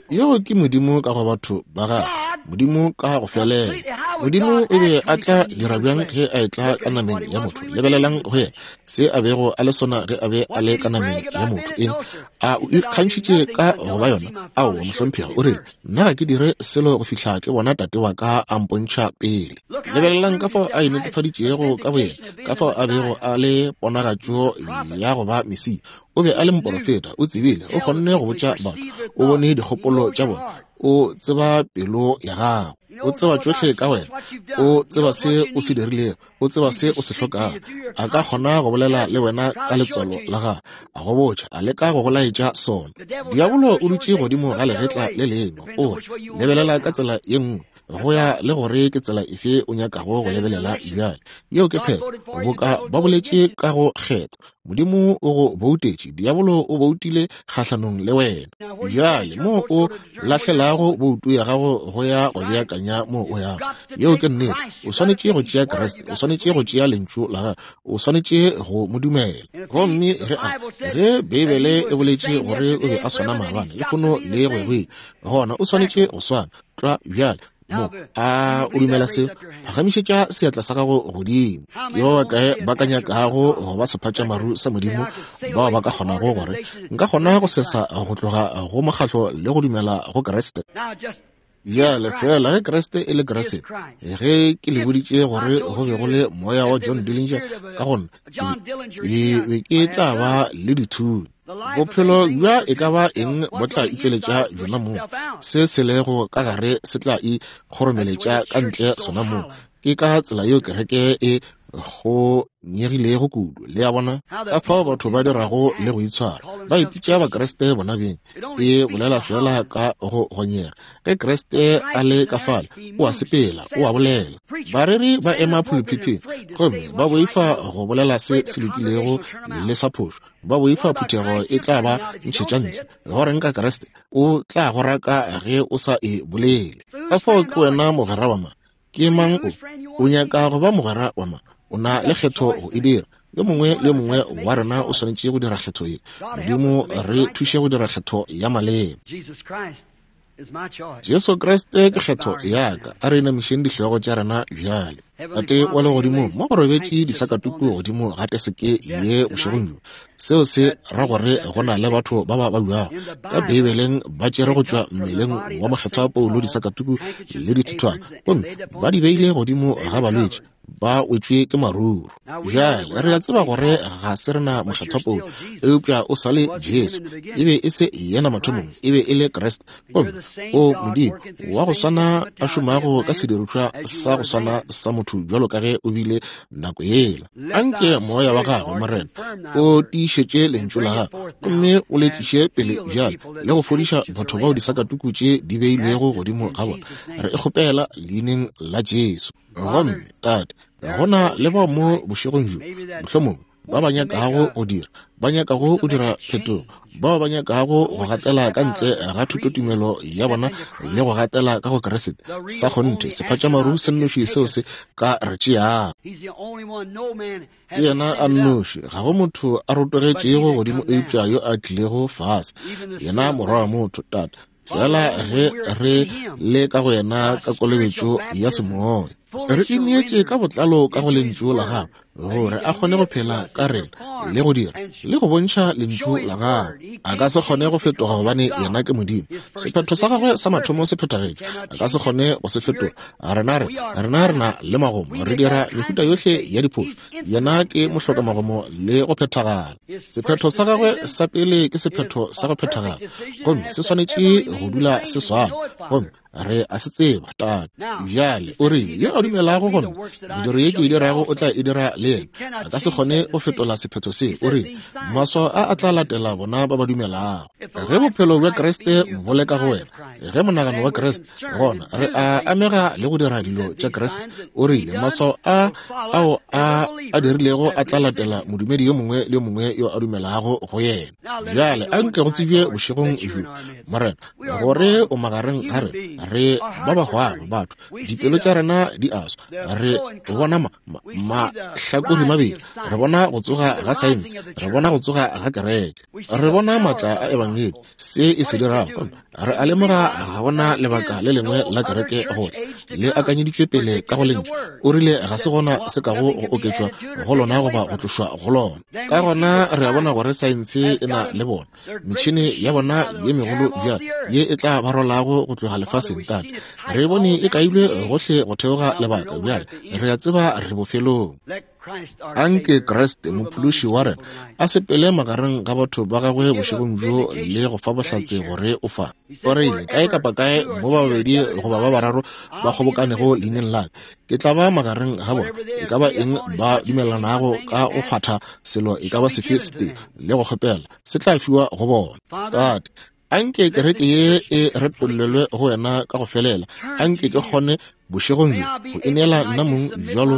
Yeo ke Modimo ka go batho ba gagwe, Modimo ka go felela. Modimo o be a tla dira bjang ge a etla ka nameng ya motho? Lebelelang go yena, se a bego a le sona ge a be a le ka nameng ya motho. Eng? A o ikgantšhitše ka go ba yona? Aowa, mohlomphegi, o rile, nna ga ke dire selo go fihla ke bona Tate wa ka a mpontšha pele. Lebelelang ka fao a inetefaditšego ka boyena, ka fao a bego a le ponagatšo ya go ba Mesia. O be a le moporofeta, o tsebile, o kgonne go botša batho, o bone dikgopolo tša bona, o tseba pelo ya gago, o tseba tšohle ka wena, o tseba se o se dirilego, o tseba se o se hlokago. A ka kgona go bolela le wena ka letswalo la gago, a go botša, a leka go go laetša sona. Diabolo o dutše godimo ga legetla le lengwe, o re lebelela ka tsela ye nngwe, go ya le gore ke tsela efe o nyakago go lebelela bjale. Yeo ke phetho. Boka ba boletše ka go kgetho, Modimo o go boutetše, diabolo o boutile kgahlanong le wena. Bjale mo o lahlelago boutu ya gago go ya go beakanya mo o yago. Yeo ke nnete. O swanetše go tšea Kriste, o swanetše go tšea lentšu la gagwe, o swanetše go mo dumela. Gomme ge a, ge Beibele e boletše gore o be a swana maabane, lehono le go ya go ile, gona o swanetše go swana tlwa bjale. Mo, a o dumela seo? Phagamišetša seatla sa gago godimo. Ke ba bakae ba ka nyakago go ba sephatšamaru sa Modimo, bao ba ka kgonago gore nka kgona go sesa go tloga go mokgatlo le go dumela go Kriste? Bjale fela ge Kriste e le Kriste, ge ke le boditše gore go be go le moya wa John Dillinger ka go nna, ke be ke tla ba le dithunya. Bophelo bja e ka ba eng bo tla itšweletša bjona moo, se se lego ka gare se tla ikgoromeletša ka ntle sona moo. Ke ka tsela yeo kereke e go nyegilego kudu, le a bona, ka fao batho ba dirago le go itshwara. Ba ipitša Bakriste bona beng, e bolela fela ka go gonyega. Ge Kriste a le ka fale, o a sepela, o a bolela. Bareri ba ema phuluphithing gomme ba boifa go bolela se se lokilego le sa phošo. Ba boifa phuthego e tla ba ntšhetša ntle. Go reng ka Kriste? O tla go raka ge o sa e bolele. Ka fao ke wena mogwera wa mang? Ke mang o? O nyaka go ba mogwera wa mang? O na le kgetho go e dira. Yo mongwe le yo mongwe wa rena o swanetše go dira kgetho ye. Modimo re thuše go dira kgetho ya maleba. Jesu Kriste ke kgetho ya ka. A re inamišeng dihlogo tša rena bjale. Tate wa legodimo, mo go robetše disakatuku godimo ga teseke ye bošegong bjo. Seo se ra gore go na le batho ba ba babjago. Ka Beibeleng ba tšere go tšwa mmeleng wa mokgethwa Paulo disakatuku le dithithwana, gomme ba di beile godimo ga balwetši, ba wetšwe ke maruru. Bjale re a tseba gore ga se rena mokgethwa Paulo, eupša o sa le Jesu. E be e se yena mathomong, e be e le Kriste. Gomme o Modimo wa go swana a šomago ka sedirišwa sa go swana sa motho bjalo ka ge o bile nako yela. Anke moya wa gagwe, Morena, o tiišetše lentšu la gago gomme o le tliše pele bjale le go fodiša batho bao disakatuku tše di beilwego godimo ga bona. Re e kgopela leineng la Jesu. Gomme Tate, go na le bao mo bošegong bjo, mohlomongwe ba ba nyakago go dira, ba nyakago go dira phetogo, bao ba nyakago go gatela ka ntle ga thutotumelo ya bona le go gatela ka go Kriste. Sa kgonthe, sephatšamaru se nnoši seo se ka re tšeago. Ke yena a nnoši, ga go motho a rotogetšego godimo eupša yo a tlilego fase, yena Morwa wa motho. Tate, fela ge re le ka go yena ka kolobetšo ya semoya, re ineetše ka botlalo ka go lentšu la gagwe, gore a kgone go phela ka rena le go dira le go bontšha lentšu la gagwe. A ka se kgone go fetoga gobane yena ke Modimo. Sephetho sa gagwe sa mathomo se phethagetše, a ka se kgone go se fetola. Rena re rena re na le magomo, re dira mehuta yohle ya diphošo. Yena ke mohlokamagomo le go phethagala. Sephetho sa gagwe sa pele ke sephetho sa go phethagala, gomme se swanetše go dula se swana. Gomme re a se tseba, Tate. Bjale o rile, yo a dumelago go nna, mediro ye ke e dirago o tla e dira le yena. A ka se kgone go fetola sephetho se. O rile, maswao a a tla latela bona ba ba dumelago. Ge bophelo bja Kriste bo le ka go wena, ge monagano wa Kriste, gona re a amega le go dira dilo tša Kriste. O rile, maswao a ao a a dirilego a tla latela modumedi yo mongwe le yo mongwe yo a dumelago go yena. Bjale a nke go tsebje bošegong bjo, Morena, gore o magareng ga rena. Re ba ba hwago batho, dipelo tša rena di a swa. Re bona mahlakori mabedi, re bona go tsoga ga saense, re bona go tsoga ga kereke, re bona maatla a ebangedi, se e se dirago. Re a lemoga ga gona lebaka le lengwe la kereke go tla le akanyeditšwe pele ka go lentšu. O rile ga se gona se kago go oketšwa go lona goba go tlošwa go lona. Ka gona re a bona gore saense e na le bona metšhene ya bona ye megolo bjalo ye e tla ba rwalago go tloga lefaseng. Tate, re bone e kailwe gohle go theoga lebaka. Bjale re a tseba re bofelong. Anke Kriste Mophološi wa rena a sepele magareng ga batho ba gagwe bošegong bjo le go fa bohlatse gore o fa. O rile, kae kapa kae mo ba babedi goba ba bararo ba kgobokanego leineng la ka, ke tla ba magareng ga bona. E ka ba eng ba dumelelanago ka go kgwatha selo e ka ba sefe setee le go kgopela, se tla fiwa go bona. Tate, anke kereke ye e retollelwe go wena ka go felela. Anke ke kgone bošegong bjo go ineela nna mong bjalo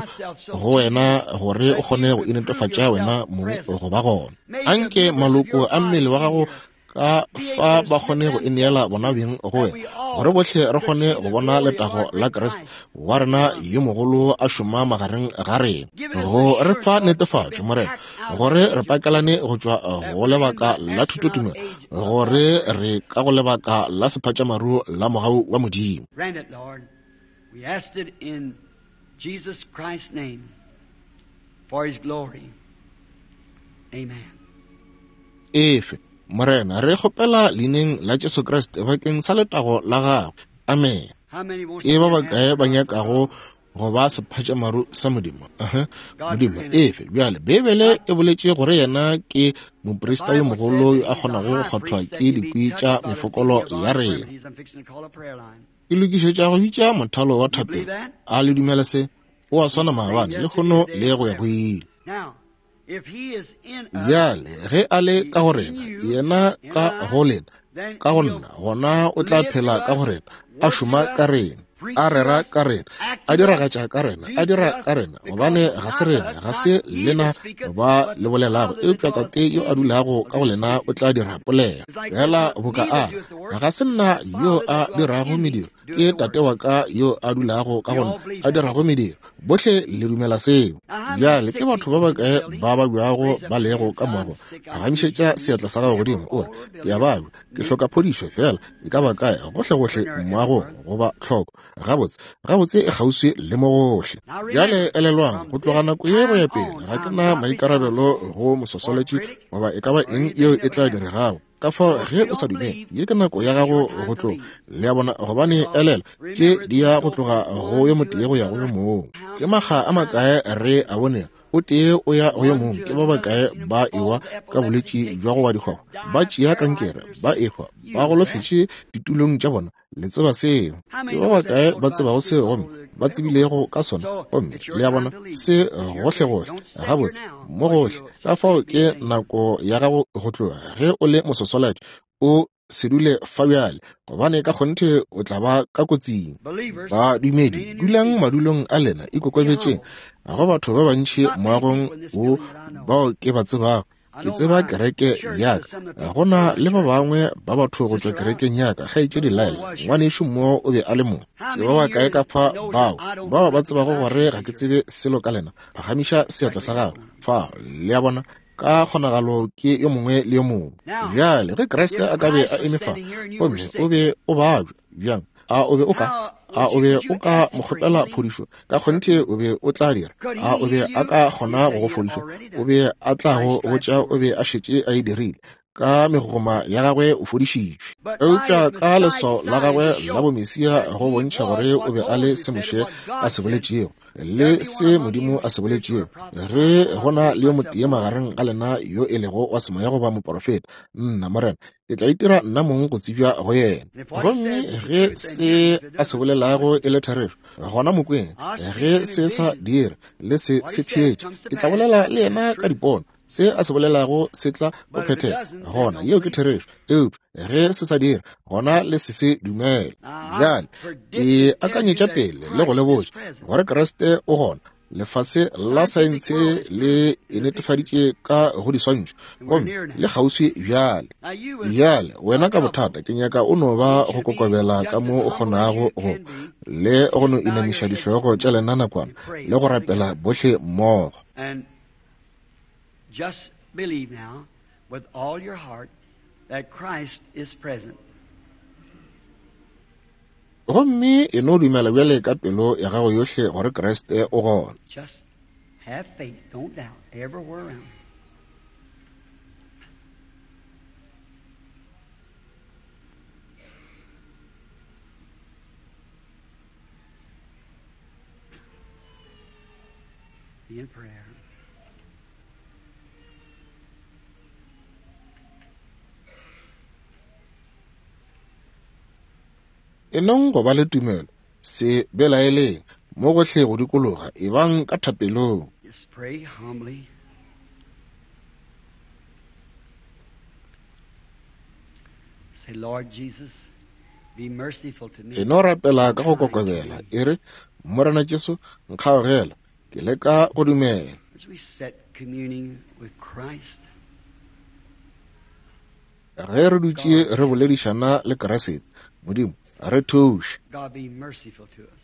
go wena, gore o kgone go inetefatša wena mong go ba gona. Anke maloko a mmele wa gago ka fa ba kgone go ineela bona beng go wena, gore bohle re kgone go bona letago la Kriste wa rena yo mogolo a šoma magareng ga rena, go re fa netefatšo, Morena, gore re pakelane go tšwa go lebaka la thutotumelo, gore re ka go lebaka la sephatšamaru la mogau wa Modimo. Grant it, Lord. We ask it in Jesus Christ's name for his glory. Amen. Efe, Morena, re kgopela leineng la Jesu Kriste bakeng sa letago la gagwe. Amen. How many wants Ke to ba be an bakae ba astronaut? nyakago go ba sephatšamaru sa Modimo? Aha, God Modimo, grant it. efe. Bjale, Beibele e boletše gore yena ke The moprista yo Bible mogolo says yo that a he's a kgonago go high kgwathwa priest that ke can be dikwi touched tša by the mefokolo feeling of ya our rena. infirmities. I'm fixing to call a prayer line. Ke lokišetša go bitša mothalo wa You believe thapelo. that? A le dumela se? O a He's swana the same maabane, yesterday, lehono today, le and go ya go forever. ile. Now, if he is in us, Bjale ge a le he ka go is in rena, you, yena in ka I, go lena, then ka go he'll nna, gona o tla live phela through ka go us, rena, a work šoma through ka us, rena, preach a through rera us, ka rena, act a through us, diragatša ka rena, do a through dira us, ka rena, because gobane it's ga se not rena, us, ga not se ye lena that speaketh, ba but le the bolelago, Father that eupša dwelleth Tate yo a in you dulago will ka go do the lena o speaking. tla dira polelo. It's like there's Fela not boka me a that re, doeth the work, ga se nna but the yo Father a that dwelleth dirago in me mediro, Ke Tate wa ka yo a dulago ka go nna, a dirago mediro. Bohle le dumela seo. Bjale ke batho ba bakae ba babjago ba lego ka moagong? Phagamišetša seatla sa gago godimo, o re, Ke a babja, ke hloka phodišo, feela e ka ba kae, gohlegohle moagong, goba tlhoko. Gabotse, gabotse e kgauswi le mo gohle. Bjale elelwang, go tloga nako ye go ya pele, ga ke na maikarabelo go moswaswalatši goba e ka ba eng yeo e tla diregago. Ka fao ge o sa dumele, ye ke nako ya gago go tloga. Le a bona, gobane elela, tše di ya go tloga go yo motee go ya go yo mongwe. Ke makga a makae re a bonego o tee o ya go yo mongwe, ke ba bakae ba ewa ka bolwetši bja go wa dikgwabo, ba tšea kankere, ba ehwa, ba golofetše ditulong tša bona. Le tseba seo. Ke ba bakae ba tsebago seo gomme ba tsebilego ka sona? Gomme le a bona, se gohlegohle, gabotse, mo gohle. Ka fao ke nako ya gago go tloga. Ge o le moswaswalatši, o se dule fa bjale, gobane ka kgonthe o tla ba ka kotsing. Badumedi, dulang madulong a lena, ikokobetšeng. Go batho ba bantši moagong wo bao ke ba tsebago. Ke tseba kereke ya ka. Go na le ba bangwe ba batho go tšwa kerekeng ya ka, Kgaetšedi Lyle, ngwanešu mo o be a le mo. Ke ba bakae ka fa bao, bao ba tsebago gore ga ke tsebe selo ka lena? Phagamiša seatla sa gago. Fa, le a bona, ka kgonagalo ke yo mongwe le yo mongwe. Bjale, ge Kriste a ka be a eme fa, gomme o be o babja, bjang? A o be o ka, a o be o ka mo kgopela phodišo? Ka kgonthe o be o tla dira. A o be a ka kgona go go fodiša? O be a tla go botša o be a šetše a e dirile. Ka megogoma ya gagwe o fodišitšwe. Eupša ka leswao la gagwe la bomesia go bontšha gore o be a le se Moshe a se boletšego le se Modimo a se boletšego, ge go na le yo motee magareng ga lena yo e lego wa semoya goba moporofeta, nna Morena ke tla itira nna mong go tsebja go yena. Gomme ge se a se bolelago e le therešo, gona mo kweng. Ge se sa dire, le se se theetše. Ke tla bolela le yena ka dipono. Se a se bolelago se tla go phethega, gona yeo ke therešo. Eupša ge se sa dire, gona le se se dumele. Bjale ke akanyetša pele le go le botša gore Kriste o gona. Lefase la saense le e netefaditše ka go diswantšho, gomme le kgauswi bjale. Bjale wena ka bothata, ke nyaka o no ba go kokobela ka mo o kgonago go, le go no inamiša dihlogo tša lena nakwana le go rapela bohle mmogo. Just believe now with all your heart that Christ is present. Gomme e no dumela bjale ka pelo ya gago yohle gore Kriste o gona. Just have faith, don't doubt, everywhere around. Be in prayer. E nong go ba le tumelo, se belaeleng, mo gohle go dikologa, ebang ka thapelong. Just pray humbly. Say, Lord Jesus, be merciful to me. E no rapela ka go kokobela, e re, Morena Jesu, nkgaogela, ke leka go dumela. As we sit communing with Christ, Ge re dutše re boledišana le Kriste, Modimo, re thuše. God be merciful to us.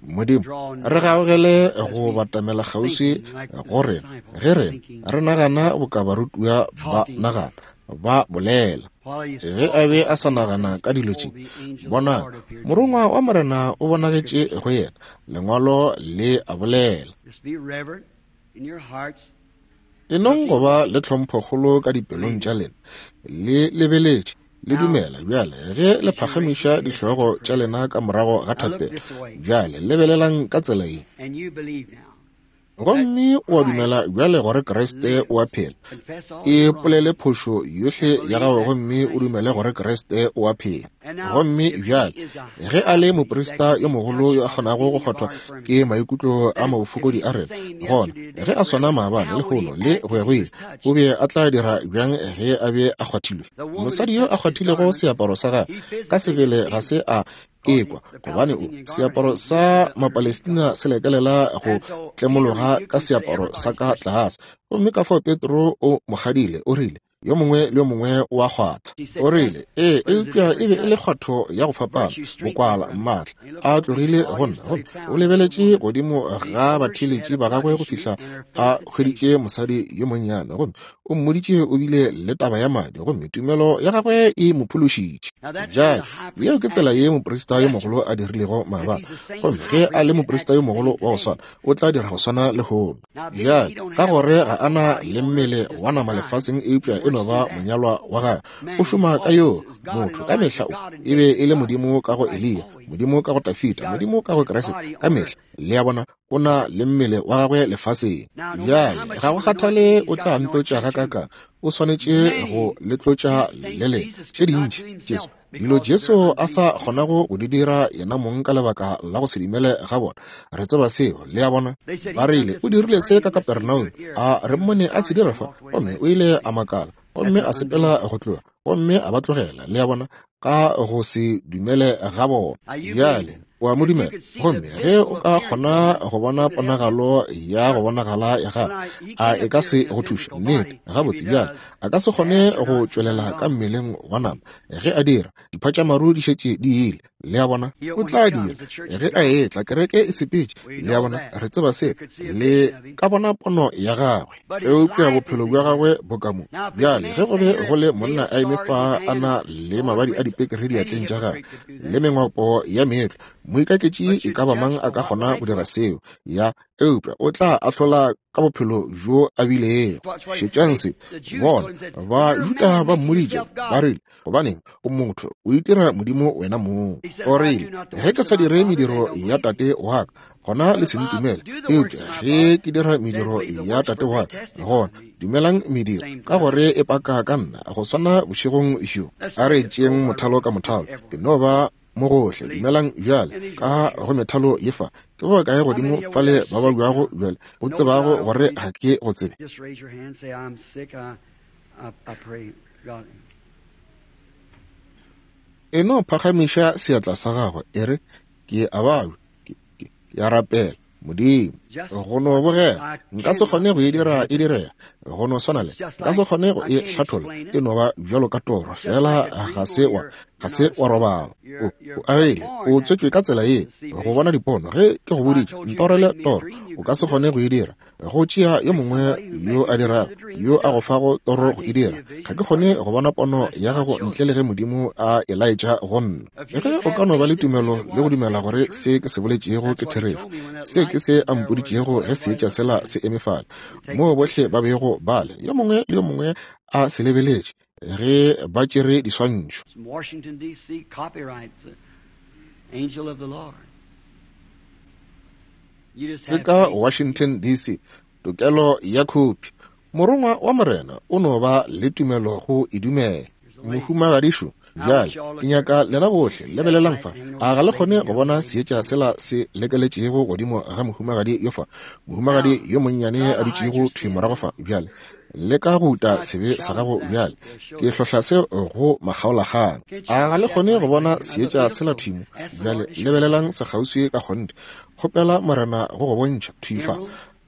Modimo, re gaogele go batamela kgauswi go rena ge rena re nagana boka barutiwa ba nagana, ba bolela. Ge a be a sa nagana ka dilo tše, bonang, morongwa wa Morena o bonagetše go yena, Lengwalo le a bolela. Just be reverent in your hearts. E nong go ba le tlhomphokgolo ka dipelong tša lena, le lebeletše, le dumela. Bjale ge le phagamiša dihlogo tša lena ka morago ga thapelo, bjale lebelelang ka tsela ye. And you believe now. Gomme o a dumela bjale gore Kriste o a phela. E polele phošo yohle ya gago gomme o dumele gore Kriste o a phela. Gomme bjale ge a le moprista yo mogolo yo a kgonago go kgwathwa ke maikutlo a mabofokodi a rena, gona ge a swana maabane, lehono le go ya go ile, o be a tla dira bjang ge a be a kgwathilwe? Mosadi yo a kgwathilego seaparo sa gagwe ka sebele ga se a ekwa, gobane o seaparo sa Mapalestina se lekelela go tlemologa ka seaparo sa ka tlase. Gomme ka fao Petro o mo kgadile, o rile, Yo mongwe le yo mongwe o a kgwatha. O rile, Ee, eupša e be e le kgwatho ya go fapana, bokwala, maatla a tlogile go nna. Gomme o lebeletše godimo ga batheeletši ba gagwe go fihla a hweditše mosadi yo monnyane, gomme o mmoditše o bile le taba ya madi, gomme tumelo ya gagwe e mo phološitše. Bjale, yeo ke tsela ye moprista yo mogolo a dirilego maabane. Gomme ge a le moprista yo mogolo wa go swana, o tla dira go swana lehono. Bjale, ka gore ga a na le mmele wa nama lefaseng eupša e no ba monyalwa wa gagwe, o šoma ka yoo motho ka mehla. O e be e le Modimo ka go Eliya, Modimo ka go Tafita, Modimo ka go Kriste, ka mehla. Le a bona, o na le mmele wa gagwe lefaseng. Bjale, ga go kgathale o tla ntlotša gakakang, o swanetše go le tlotša le lena. Tše dintši, Jesu Dilo Jesu a sa kgonago go di dira yena mong ka lebaka la go se dumele ga bona. Re tseba seo, le a bona. Ba rile, O dirile se ka Kapernaum. A re mmone a se dira fa. Gomme o ile a makala, gomme a sepela go tloga, gomme a ba tlogela, le a bona, ka go se dumele ga bona. Bjale, o a mo dumela. Gomme ge o ka kgona go bona ponagalo ya go bonagala ya gagwe, a e ka se go thuše? Nnete. Gabotse, bjale, a ka se kgone go tšwelela ka mmeleng wa nama. Ge a dira, diphatšamaru di šetše di ile. Le a bona? O tla dira. Ge a etla, kereke e sepetše. Le a bona? Re tseba seo. Le ka bona pono ya gagwe. Eupša bophelo bja gagwe bo ka mo. Bjale, ge go be go le monna a eme fa a na le mabadi a dipekere diatleng tša gagwe, le mengwapo ya meetlo, moikaketši e ka ba mang a ka kgona go dira seo? Ya, eupša o tla ahlola ka bophelo bjo a bilego. Šetšang se, bona, Bajuda ba mmoditše, ba rile, Gobaneng, o motho, o itira Modimo wena mong. O rile, Ge ke sa dire mediro ya Tate wa ka, gona le se ntumele. Eupša ge ke dira mediro ya Tate wa ka, gona dumelang mediro, ka gore e paka ka nna, go swana bošegong bjo. A re tšeeng mothalo ka mothalo. Ke no ba mo gohle. Dumelang bjale ka go methalo ye fa. Ke ba kae godimo fale ba babjago bjale, o tsebago gore ga ke go tsebe? E no phagamiša seatla sa gago, e re, Ke a babja, ke, ke, ke a rapela. Modimo, go no bogela, nka se kgone go e dira e direga, go no swana le, nka se kgone go e hlatholla, e no ba bjalo ka toro, fela ga se wa, ga se wa robala. O, o agile, o tswetšwe ka tsela ye, go bona dipono. Ge ke go boditše, ntorele toro, o ka se kgone go e dira. Go tšea yo mongwe yo a dirago, yo a go fago toro go e dira. Ga ke kgone go bona pono ya gago ntle le ge Modimo a e laetša go nna. Ge o ka no ba le tumelo le go dumela gore se ke se boletšego ke therešo, se ke se a mpoditšego ge seetša sela se eme fale, moo bohle ba bego ba le, yo mongwe le yo mongwe a se lebeletše, ge ba tšere diswantšho. Washington, DC, copyright, Angel of the Lord. Se ka Washington, DC, tokelo ya khophi. Morongwa wa Morena o no ba le tumelo go e dumela. Mohumagadišo, bjale ke nyaka lena bohle lebelelang fa. A ga le kgone go bona seetša sela se lekeletšego godimo ga mohumagadi yo fa, mohumagadi yo monnyane a dutšego thwi morago fa bjale? Leka go uta sebe sa gago bjale. Ke hlohla se go makgaolakgang. A ga le kgone go bona seetša sela thwi mo? Bjale lebelelang sekgauswi ka kgonthe. Kgopela Morena go go bontšha thwi fa.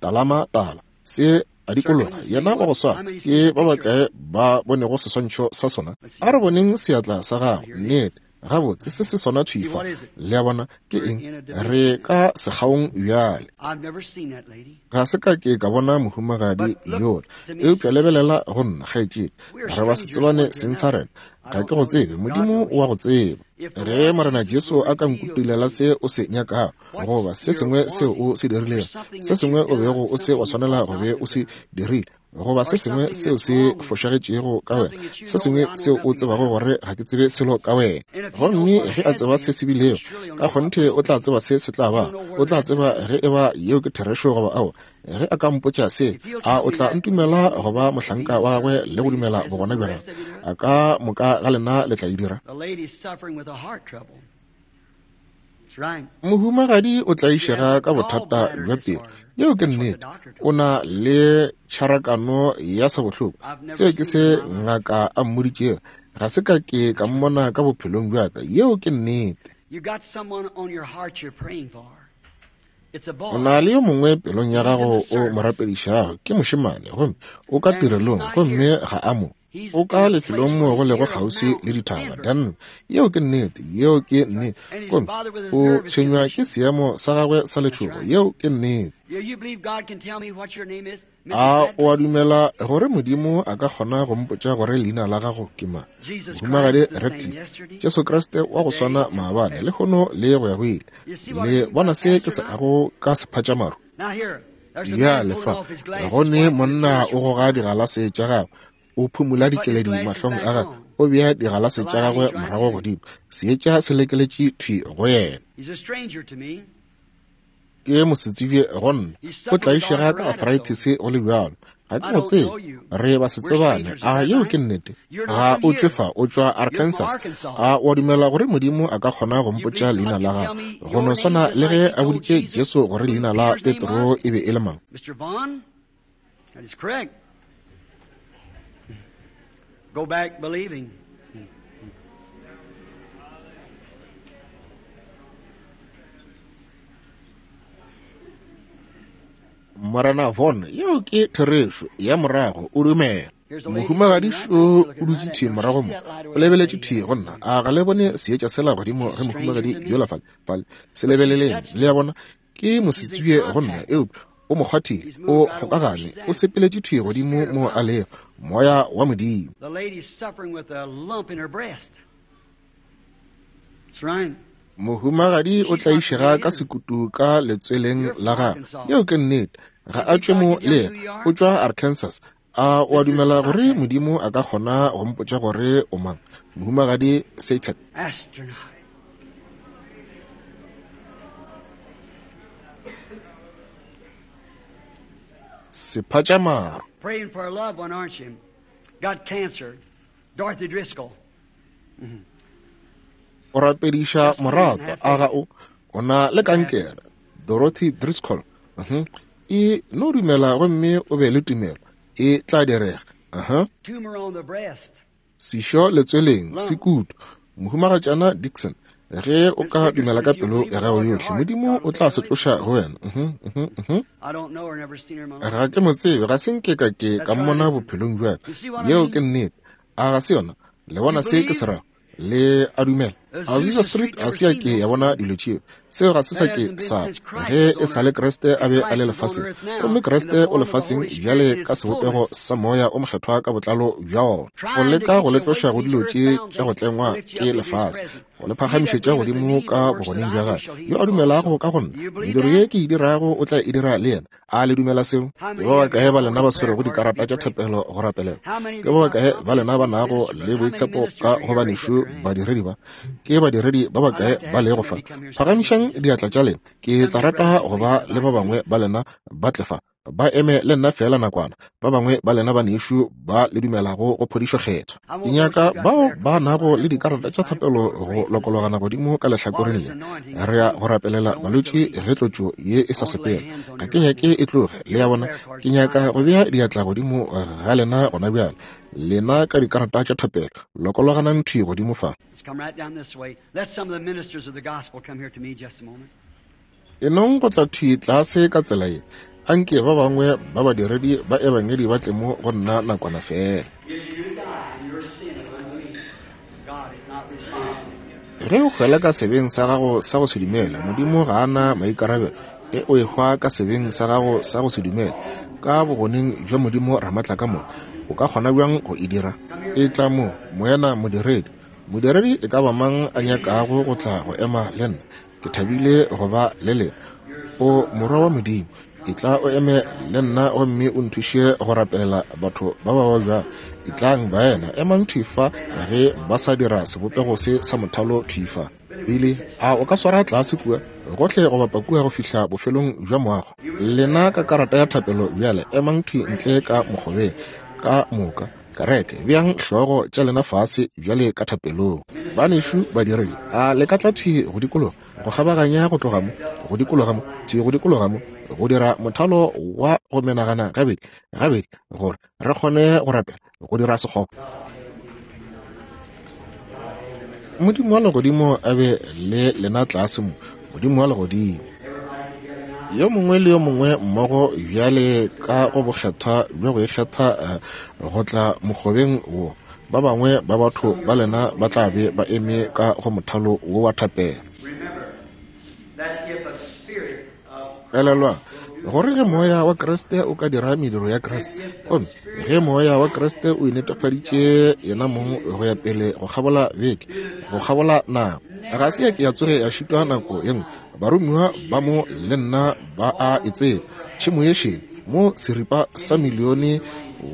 Talama tala. Se a dikologa. Yena wa go swana. Ke ba bakae ba bonego seswantšho sa sona? A re boneng seatla sa gago. Nnete. Gabotse, se se sona thwi fa. Le a bona? Ke eng? Re ka sekgaong bjale. Ga se ka ke ka bona mohumagadi yola, eupša lebelela go nna, kgaetšedi. Re ba se tsebane seng sa rena. Ga ke go tsebe. Modimo o a go tseba. Ge Morena Jesu a ka nkutulela se o se nyakago, goba se sengwe seo o se dirilego, se sengwe o bego o se wa swanela go be o se dirile, goba se sengwe seo se fošagetšego ka wena, se sengwe seo o tsebago gore ga ke tsebe selo ka wena. Gomme ge a tseba se se bilego, ka kgonthe o tla tseba se se tla ba. O tla tseba ge e ba yeo ke therešo goba aowa. Ge a ka mpotša se, a o tla ntumela go ba mohlanka wa gagwe le go dumela bogona bja gagwe? A ka moka ga lena le tla e dira? Mohumagadi o tlaišega ka bothata bja pelo. Yeo ke nnete. O na le tšharakano ya sabohloko. Seo ke se ngaka a mmoditšego. Ga se ka ke ka mmona ka bophelong bja ka. Yeo ke nnete. O na le yo mongwe pelong ya gago o mo rapedišago, ke mošemane, gomme o ka tirelong, gomme ga a mo. O ka lefelong moo go lego kgauswi le dithaba, Denver. Yeo ke nnete. Yeo ke nnete. Gomme o tshwenywa ke seemo sa gagwe sa letšhogo. Yeo ke nnete. A o a dumela gore Modimo a ka kgona go mpotša gore leina la gago ke mang? Mohumagadi Ratcliff, Jesu Kriste wa go swana maabane, lehono le go ya go ile. Le bona se ke se ago ka sephatšamaru? Bjale fa, go ne monna o goga digalase tša gagwe, o phumula dikeledi mahlong a gagwe, o bea digalase tša gagwe morago godimo, seetša se lekeletše thwi go yena. Ke mosetsebje go nna, o tlaišega ka arthritis go le bjalo. Ga ke go tsebe, re ba se tsebane. A yeo ke nnete? Ga o tšwe fa, o tšwa Arkansas. A o a dumela gore Modimo a ka kgona go mpotša leina la gago, go no swana le ge a boditše Jesu gore leina la Petro e be e le mang? Mr. Vaughn, that is correct. Go back believing. Morena Von, yeo ke therešo ya morago, o dumela. Mohumagadi šo o dutše thwi morago mo, o lebeletše thwi go nna. A ga le bone seetša sela godimo ge mohumagadi yola fale, fale? Se lebeleleng, le a bona, ke mosetsebje go nna, eupša o mo kgwathile, o kgokagane, o sepeletše thwi godimo mo a lego, Moya wa Modimo. The lady's suffering with a lump in her breast. That's right. Mohumagadi o tlaišega ka sekutu ka letsweleng la gagwe. Yeo ke nnete. Ga a tšwe mo le yena. O tšwa Arkansas. A o a dumela gore Modimo a ka kgona go mpotša gore o mang? Mohumagadi Satan. Astronaut. Sephatšamaru. Praying for a loved one, aren't you? Got cancer. Dorothy Driscoll. O rapediša moratwa, a ga o? O na le kankere. Dorothy Driscoll. Uh-huh. E no dumela gomme o be le tumelo. E tla direga. Uh-huh. Tumor on the breast. Sešo letsweleng, sekutu. Mohumagatšana Dixon, ge o ka dumela ka pelo ya gago yohle, Modimo o tla se tloša go wena. Uh-huh, uh-huh, uh-huh. I don't know her, never seen her in my life. Ga ke mo tsebe, ga se nke ka ke ka mmona bophelong bja ka. Yeo ke nnete. A ga se yona? Le bona se ke se rago? Le a dumela? Azusa Street ga se ya ke ya bona dilo tšeo. Seo ga se sa ke sa ge e sa le Kriste a be a le lefaseng. Gomme Kriste o lefaseng bjale ka sebopego sa Moya o Mokgethwa ka botlalo bja wona, go leka go le tloša go dilo tše tša go tlengwa ke lefase, go le phagamišetša godimo ka bogoneng bja gagwe. Yo a dumelago ka go nna, mediro ye ke e dirago o tla e dira le yena. A le dumela seo? Ke ba bakae ba lena ba swerego dikarata tša thapelo go rapelela? Ke ba bakae ba lena ba nago le boitshepo ka go banešu badiredi ba? Ke badiredi ba bakae ba lego fa? Phagamišang diatla tša lena. Ke tla rata go ba le ba bangwe ba lena ba tle fa, ba eme le nna feela nakwana. Ba bangwe ba lena banešu ba le dumelago go phodišo kgethwa, ke nyaka bao ba nago le dikarata tša thapelo go lokologana godimo ka lehlakoreng le. Re ya go rapelela balwetši ge tlotšo ye e sa sepela. Ga ke nyake e tloge, le a bona. Ke nyaka go bea diatla godimo ga lena gona bjale. Lena ka dikarata tša thapelo, lokologanang thwi godimo fa. Let's come right down this way. Let some of the ministers of the gospel come here to me just a moment. E nong go tla thwi tlase ka tsela ye. Anke ba bangwe ba badiredi ba ebangedi ba tle mo go nna nakwana feela. If you die in your sin of unbelief, God is not responsible. Ge o hwela ka sebeng sa gago sa go se dumele, Modimo ga a na maikarabelo. Ge o ehwa ka sebeng sa gago sa go se dumele, ka bogoneng bja Modimo Ramatlakamoka, o ka kgona bjang go e dira? Etla mo, moena modiredi. Modiredi e ka ba mang a nyakago go tla go ema le nna, ke thabile go ba le lena. O morwa wa Modimo, etla o eme le nna gomme o nthuše go rapelela batho ba ba babjang. Etlang baena, emang thwi fa ge ba sa dira sebopego se sa mothalo thwi fa. Billy, a o ka swara tlase kua, gohle go bapa kua go fihla bofelong bja moago? Lena ka karata ya thapelo bjale, emang thwi ntle ka mokgobeng, ka moka. Kereke, beang hlogo tša lena fase bjale ka thapelong. Banešu badiredi, a le ka tla thwi go dikologa, go kgabaganya go tloga mo, go dikologa mo, thwi go dikologa mo, go dira mothalo wa go menagana gabedi, gabedi, gore re kgone go rapela, go dira sekgoba. Modimo wa Legodimo a be le lena tlase mo, Modimo wa Legodimo. Yo mongwe le yo mongwe mmogo bjale ka go bokgethwa bja go ikgetha go tla mokgobeng wo. Ba bangwe ba batho ba lena ba tla be ba eme ka go mothalo wo wa thapelo. Elelwang gore ge moya wa Kriste o ka dira mediro ya Kriste, gomme ge moya wa Kriste o inetefaditše yena mong go ya pele go kgabola beke, go kgabola nako, ga se ya ke ya tsoge ya šitwa nako ye nngwe. Baromiwa ba mo le nna ba a e tseba. Tšhemo ye šele mo seripa sa milione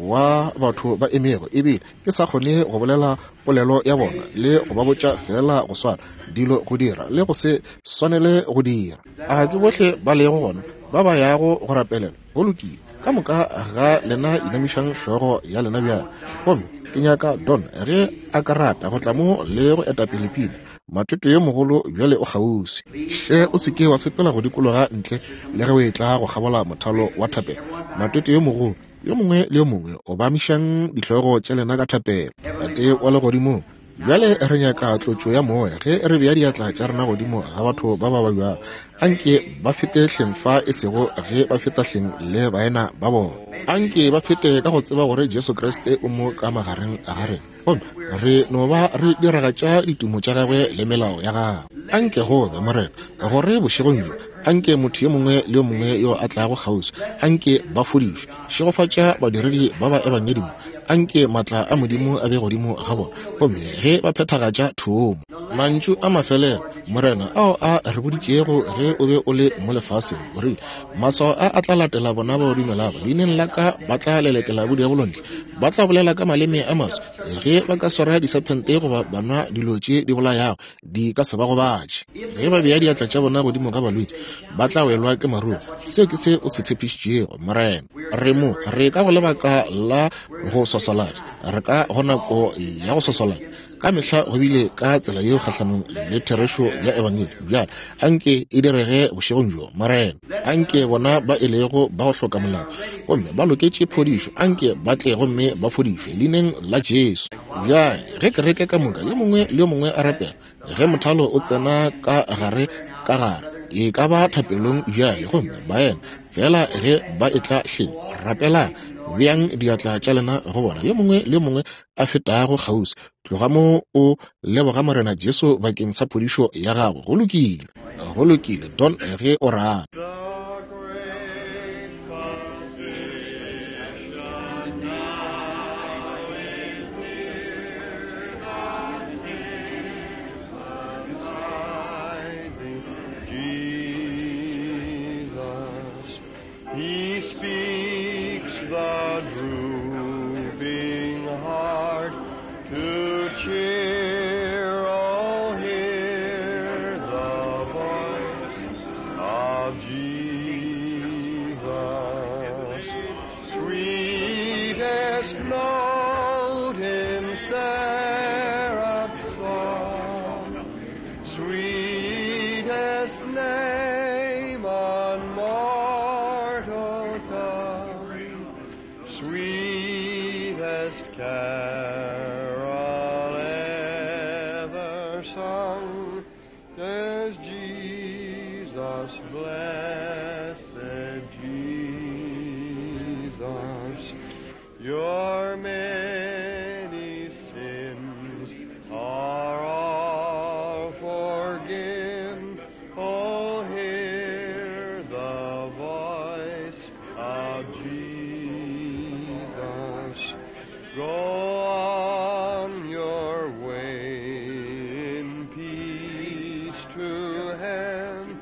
wa batho ba emego, ebile ke sa kgone go bolela polelo ya bona le go ba botša fela go swana dilo go dira le go se swanele go dira. A ke bohle ba lego gona ba ba yago go rapelela? Go lokile, ka moka ga lena inamišang hlogo ya lena bjale. Gomme ke nyaka Don ge a ka rata go tla mo le go etapele pina. Matete yo mogolo bjale o kgauswi. Hle o se ke wa sepela go dikologa ntle le ge o etla go kgabola mothalo wa thapelo. Matete yo mogolo, yo mongwe le yo mongwe obamišang dihlogo tša lena ka thapelo. Tate wa legodimong, bjale re nyaka tlotšo ya moya ge re bea diatla tša rena godimo ga batho ba ba babjago. Anke ba fete hleng fa, e sego ge ba feta hleng le baena ba bona. Anke ba fete ka go tseba gore Jesu Kriste o mo ka magareng ga rena, gomme re no ba re diragatša ditumo tša gagwe le melao ya gagwe. Anke go be, Morena, gore bošegong bjo anke motho yo mongwe le yo mongwe yo a tlago kgauswi anke ba fodišwe. Šegofatša badiredi ba ba ebangedi mo, anke maatla a Modimo a be godimo ga bona, gomme ge ba phethagatša thomo. Mantšu a mafelelo, Morena, ao a re boditšego ge o be o le mo lefaseng, o rile, maswao a a tla latela bona ba ba dumelago leineng la ka, ba tla lelekela bodiabolo ntle, ba tla bolela ka maleme a maswa, ge ba ka swara disephente goba ba nwa dilo tše di bolayago, di ka se ba gobatše. Ge ba bea diatla tša bona godimo ga balwetši, ba tla welwa ke maruru. Seo ke se o se tshepišitšego, Morena. Re mo, re ka go lebaka la go swaswalatša, re ka go nako ya go swaswalatša. Ka mehla go bile ka tsela yeo kgahlanong le therešo ya ebangedi. Bjale anke e direge bošegong bjo, Morena. Anke bona ba e lego ba go hloka molao gomme ba loketše phodišo, anke ba tle gomme ba fodišwe leineng la Jesu. Bjale ge kereke ka moka, yo mongwe le yo mongwe a rapela, ge mothalo o tsena ka gare ka gare, e ka ba thapelong bjale, gomme baena fela ge ba etla hleng, rapelang, beang diatla tša lena go bona, yo mongwe le yo mongwe a fetago kgauswi. Tloga mo o leboga Morena Jesu bakeng sa phodišo ya gago. Go lokile, go lokile, Don, ge o rata. He speaks the drooping heart to cheer, oh, hear the voice of Jesus. Sweetest note in seraph's song, sweetest name on mortal tongue, sweetest carol ever sung, there's Jesus, blessed Jesus. Your many sins are all forgiven. Oh, hear the voice of Jesus. Go on your way in peace to heaven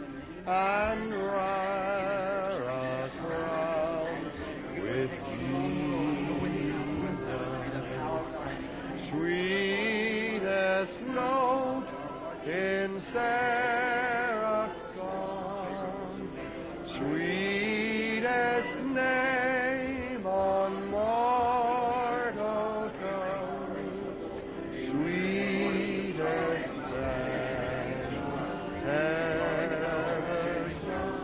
and wear a crown with Jesus. Sweetest note in seraph's song, sweetest name on mortal tongue, sweetest name ever sung,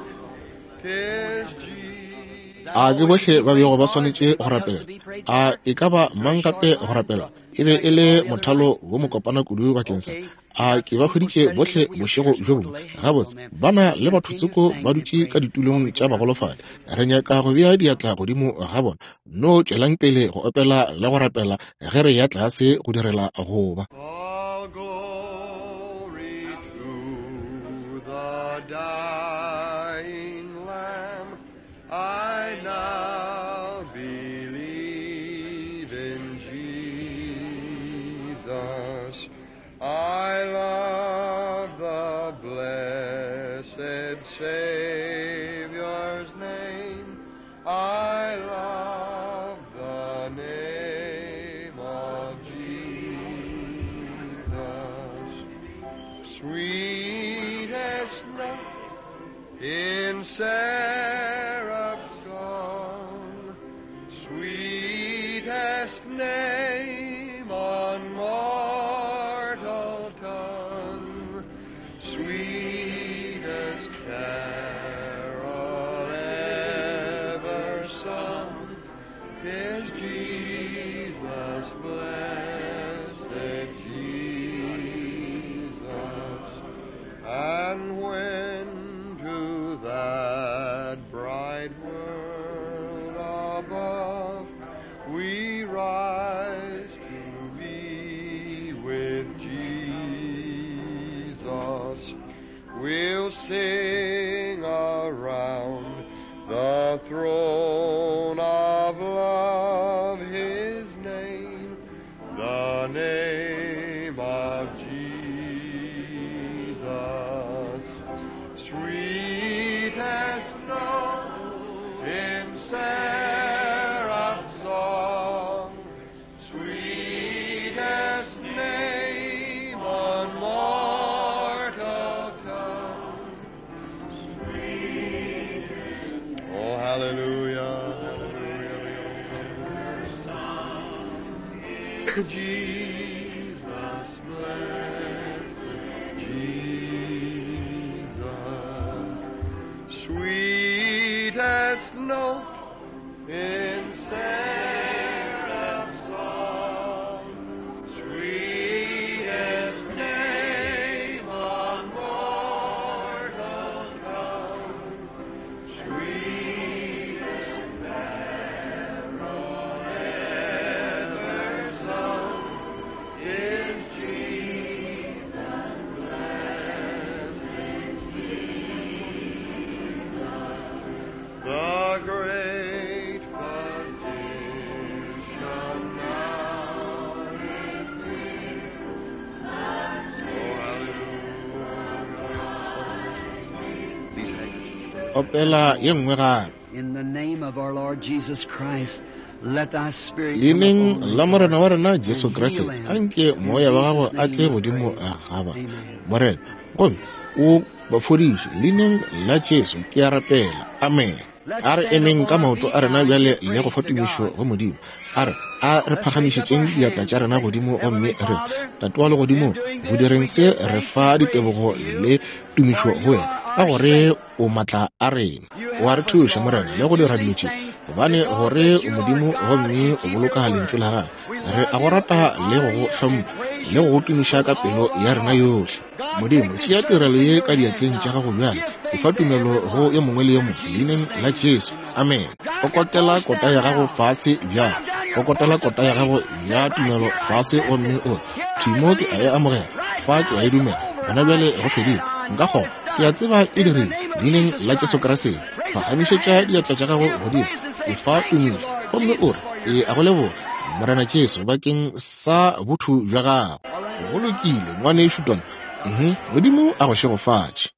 'tis Jesus. A ke bohle ba bego ba swanetše go rapela? A e ka ba mang gape go rapela? E be e le mothalo wo mokopana kudu bakeng sa. A ke ba hweditše bohle bošego bjo bongwe? Gabotse, ba na le batho tsoko ba dutše ka ditulong tša bagolofadi. Re nyaka go bea diatla godimo ga bona. No tšwelang pele go opela le go rapela ge re ya tlase go direla go ba. All glory to the dying Lamb. I now believe in Jesus. I love the blessed Savior's name. I love the name of Jesus. Sweetest note in seraph's song, sweetest name on mortal tongue, sweetest carol ever sung, is Jesus, blessed Jesus. And when to that bright world above we rise to be with Jesus, we'll sing around the throne of love his name, the name of Jesus. Sweetest note in seraph's song, sweetest name on mortal tongue. Oh, hallelujah, hallelujah. Jesus, blessed Jesus, sweetest note in seraph's song, sweetest name on mortal tongue, sweetest carol ever sung is Jesus, blessed Jesus. The great physician now is here. Oh, hallelujah. These handkerchiefs. Opela ye nngwe gape. In the name of our Lord Jesus Christ, let thy spirit come Leineng upon la these Morena wa Lord, rena Jesu and heal Kriste, them. anke In moya wa gago Jesus' a name tle we godimo pray. ga ba. Amen. Morena, gomme o ba fodiše. Leineng la Jesu ke a rapela. Amen. Let's A re stand emeng upon ka our maoto feet a rena now and bjale give le go praise fa to tumišo God. go Modimo. A re a re Let's raise up phagamišetšeng our diatla hands tša and rena say, godimo gomme Heavenly re, Father, Tate wa legodimo, in doing go this direng we se give re thanks fa and praise ditebogo to you, le tumišo for go you wena, are ka our gore strength. o maatla a rena. You O a re help us, thuša, Lord, Morena, le and go do dira dilo these tše, things gobane because gore that o you are Modimo God gomme and o keep your boloka lentšu word. la gago. We Re love a go you rata and le go honor go you and hlompha praise le go you go tumiša with ka pelo all ya our rena heart. yohle. God, Modimo, take this tšea tirelo service in ye your ka hands diatleng tša now. gago bjale. Give Efa faith to tumelo go everyone. yo mongwe le yo In mongwe Jesus' leineng la name, Jesu. amen. Amen. Drive your Kokotela post kota down ya gago now. fase bjale. Drive down your Kokotela post of kota ya faith. gago Say, ya right tumelo here I fase accept gomme it. o re, Here I Thimo ke a believe e it. amogela, Right fa ke now a e it's dumela. over. Gona I bjale go had fedile. it. I Nka know kgona. it's Ke a done. tseba e In the dirile. name of Leineng Jesus la Jesu Christ. Kriste. Raise up your Phagamišetša hands. diatla tša gago Give godimo. praise and say, Efa Thank you, tumišo Lord gomme o Jesus, re, for your E a go kindness. leboga, Morena Jesu, bakeng sa botho bja gago. All right. Go lokile, ngwanešu Don. Modimo a go šegofatše.